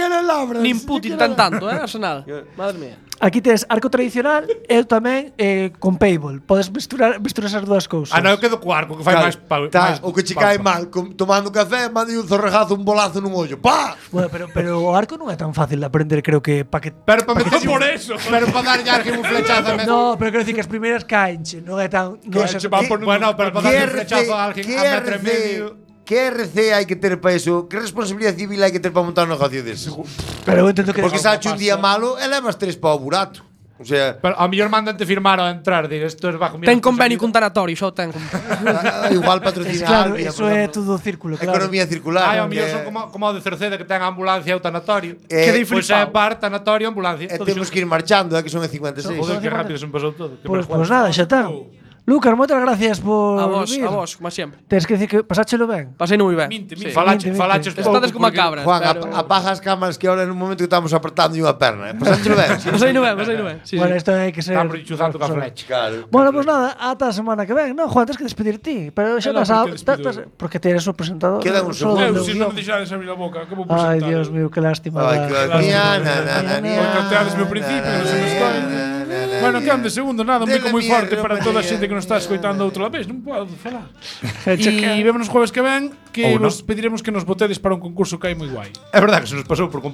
Nin Putin tan tanto, eh, Arsenal. Madre mía. Aquí tes arco tradicional e tamén eh, con paintball. Podes misturar misturar esas dúas cousas. Ah, non, eu quedo co arco, que fai Claro, máis pa, tá, máis o que che pa- cae pa- mal com, tomando café, mande un zorrejazo, un bolazo nun ollo. Pa! Bueno, pero pero o arco non é tan fácil de aprender, creo que para que Pero para meter Por eso. Pero para dar ya un flechazo a No, pero quero dicir que as primeiras caenche, non é tan non é se xa- va ¿Qué- por Bueno, pero para dar un flechazo a alguén ¿Qué a metro e R C medio. ¿Qué R C hai que ter para eso? Que responsabilidade civil hai que ter para montar un negocio dese? Pero eu entendo que Porque sache un día malo e levas tres para o burato. O sea, Pero a mellor mandante firmar ao entrar, dir, isto es bajo mi Ten convenio cun responsabilidade. tanatorio, xa o ten. ah, igual patrocina Es claro, Albia, eso por é exemplo. todo círculo, claro. Economía circular. Ai, ao que- mellor son como, como o de Cerceda que ten ambulancia e o tanatorio. Eh, que pois é flipado. bar, tanatorio, ambulancia. E Todo temos iso. que ir marchando, é que son e cincuenta e seis. Joder, que rápido se me pasou todo. Que Pois vergüenza. pues nada, xa está. Lucas, moitas gracias por A vos, vir. a vos, como sempre. Tens que dicir que pasáchelo ben. Pasei moi ben. Minte, Sí. minte. Falache, Vinte, falaches vinte. pouco. Estades como a porque- cabra. Juan, pero... ap- apaga as cámaras que ahora en un momento que estamos apretando unha perna. Eh? Pasáchelo ben. sí. Pasei no ben, pasei no ben. Sí, bueno, sí. isto hai que ser. Estamos chuzando ca flecha. Claro. Bueno, pues nada, ata a semana que ven. No, Juan, tens que despedir ti, pero xa Eh, non, estás a, porque ta- despido tas- eu. porque ti eres o presentador. Queda un solo segundo. do Eu, se non guión. me deixades abrir a boca, que vou Ai, presentar? Dios mío, que lástima. Ai, da- que Claro. Niana, na, na, Niana. Porque teades meu principio, non se me escoe. Bueno, que ande segundo, nada, un Dele bico moi mierda, forte para toda a mañana. xente que nos está escoitando outra vez, non podo falar. Checa. E vémonos jueves que ven, que Ou non. vos pediremos que nos votedes para un concurso que hai moi guai. É verdade que se nos pasou por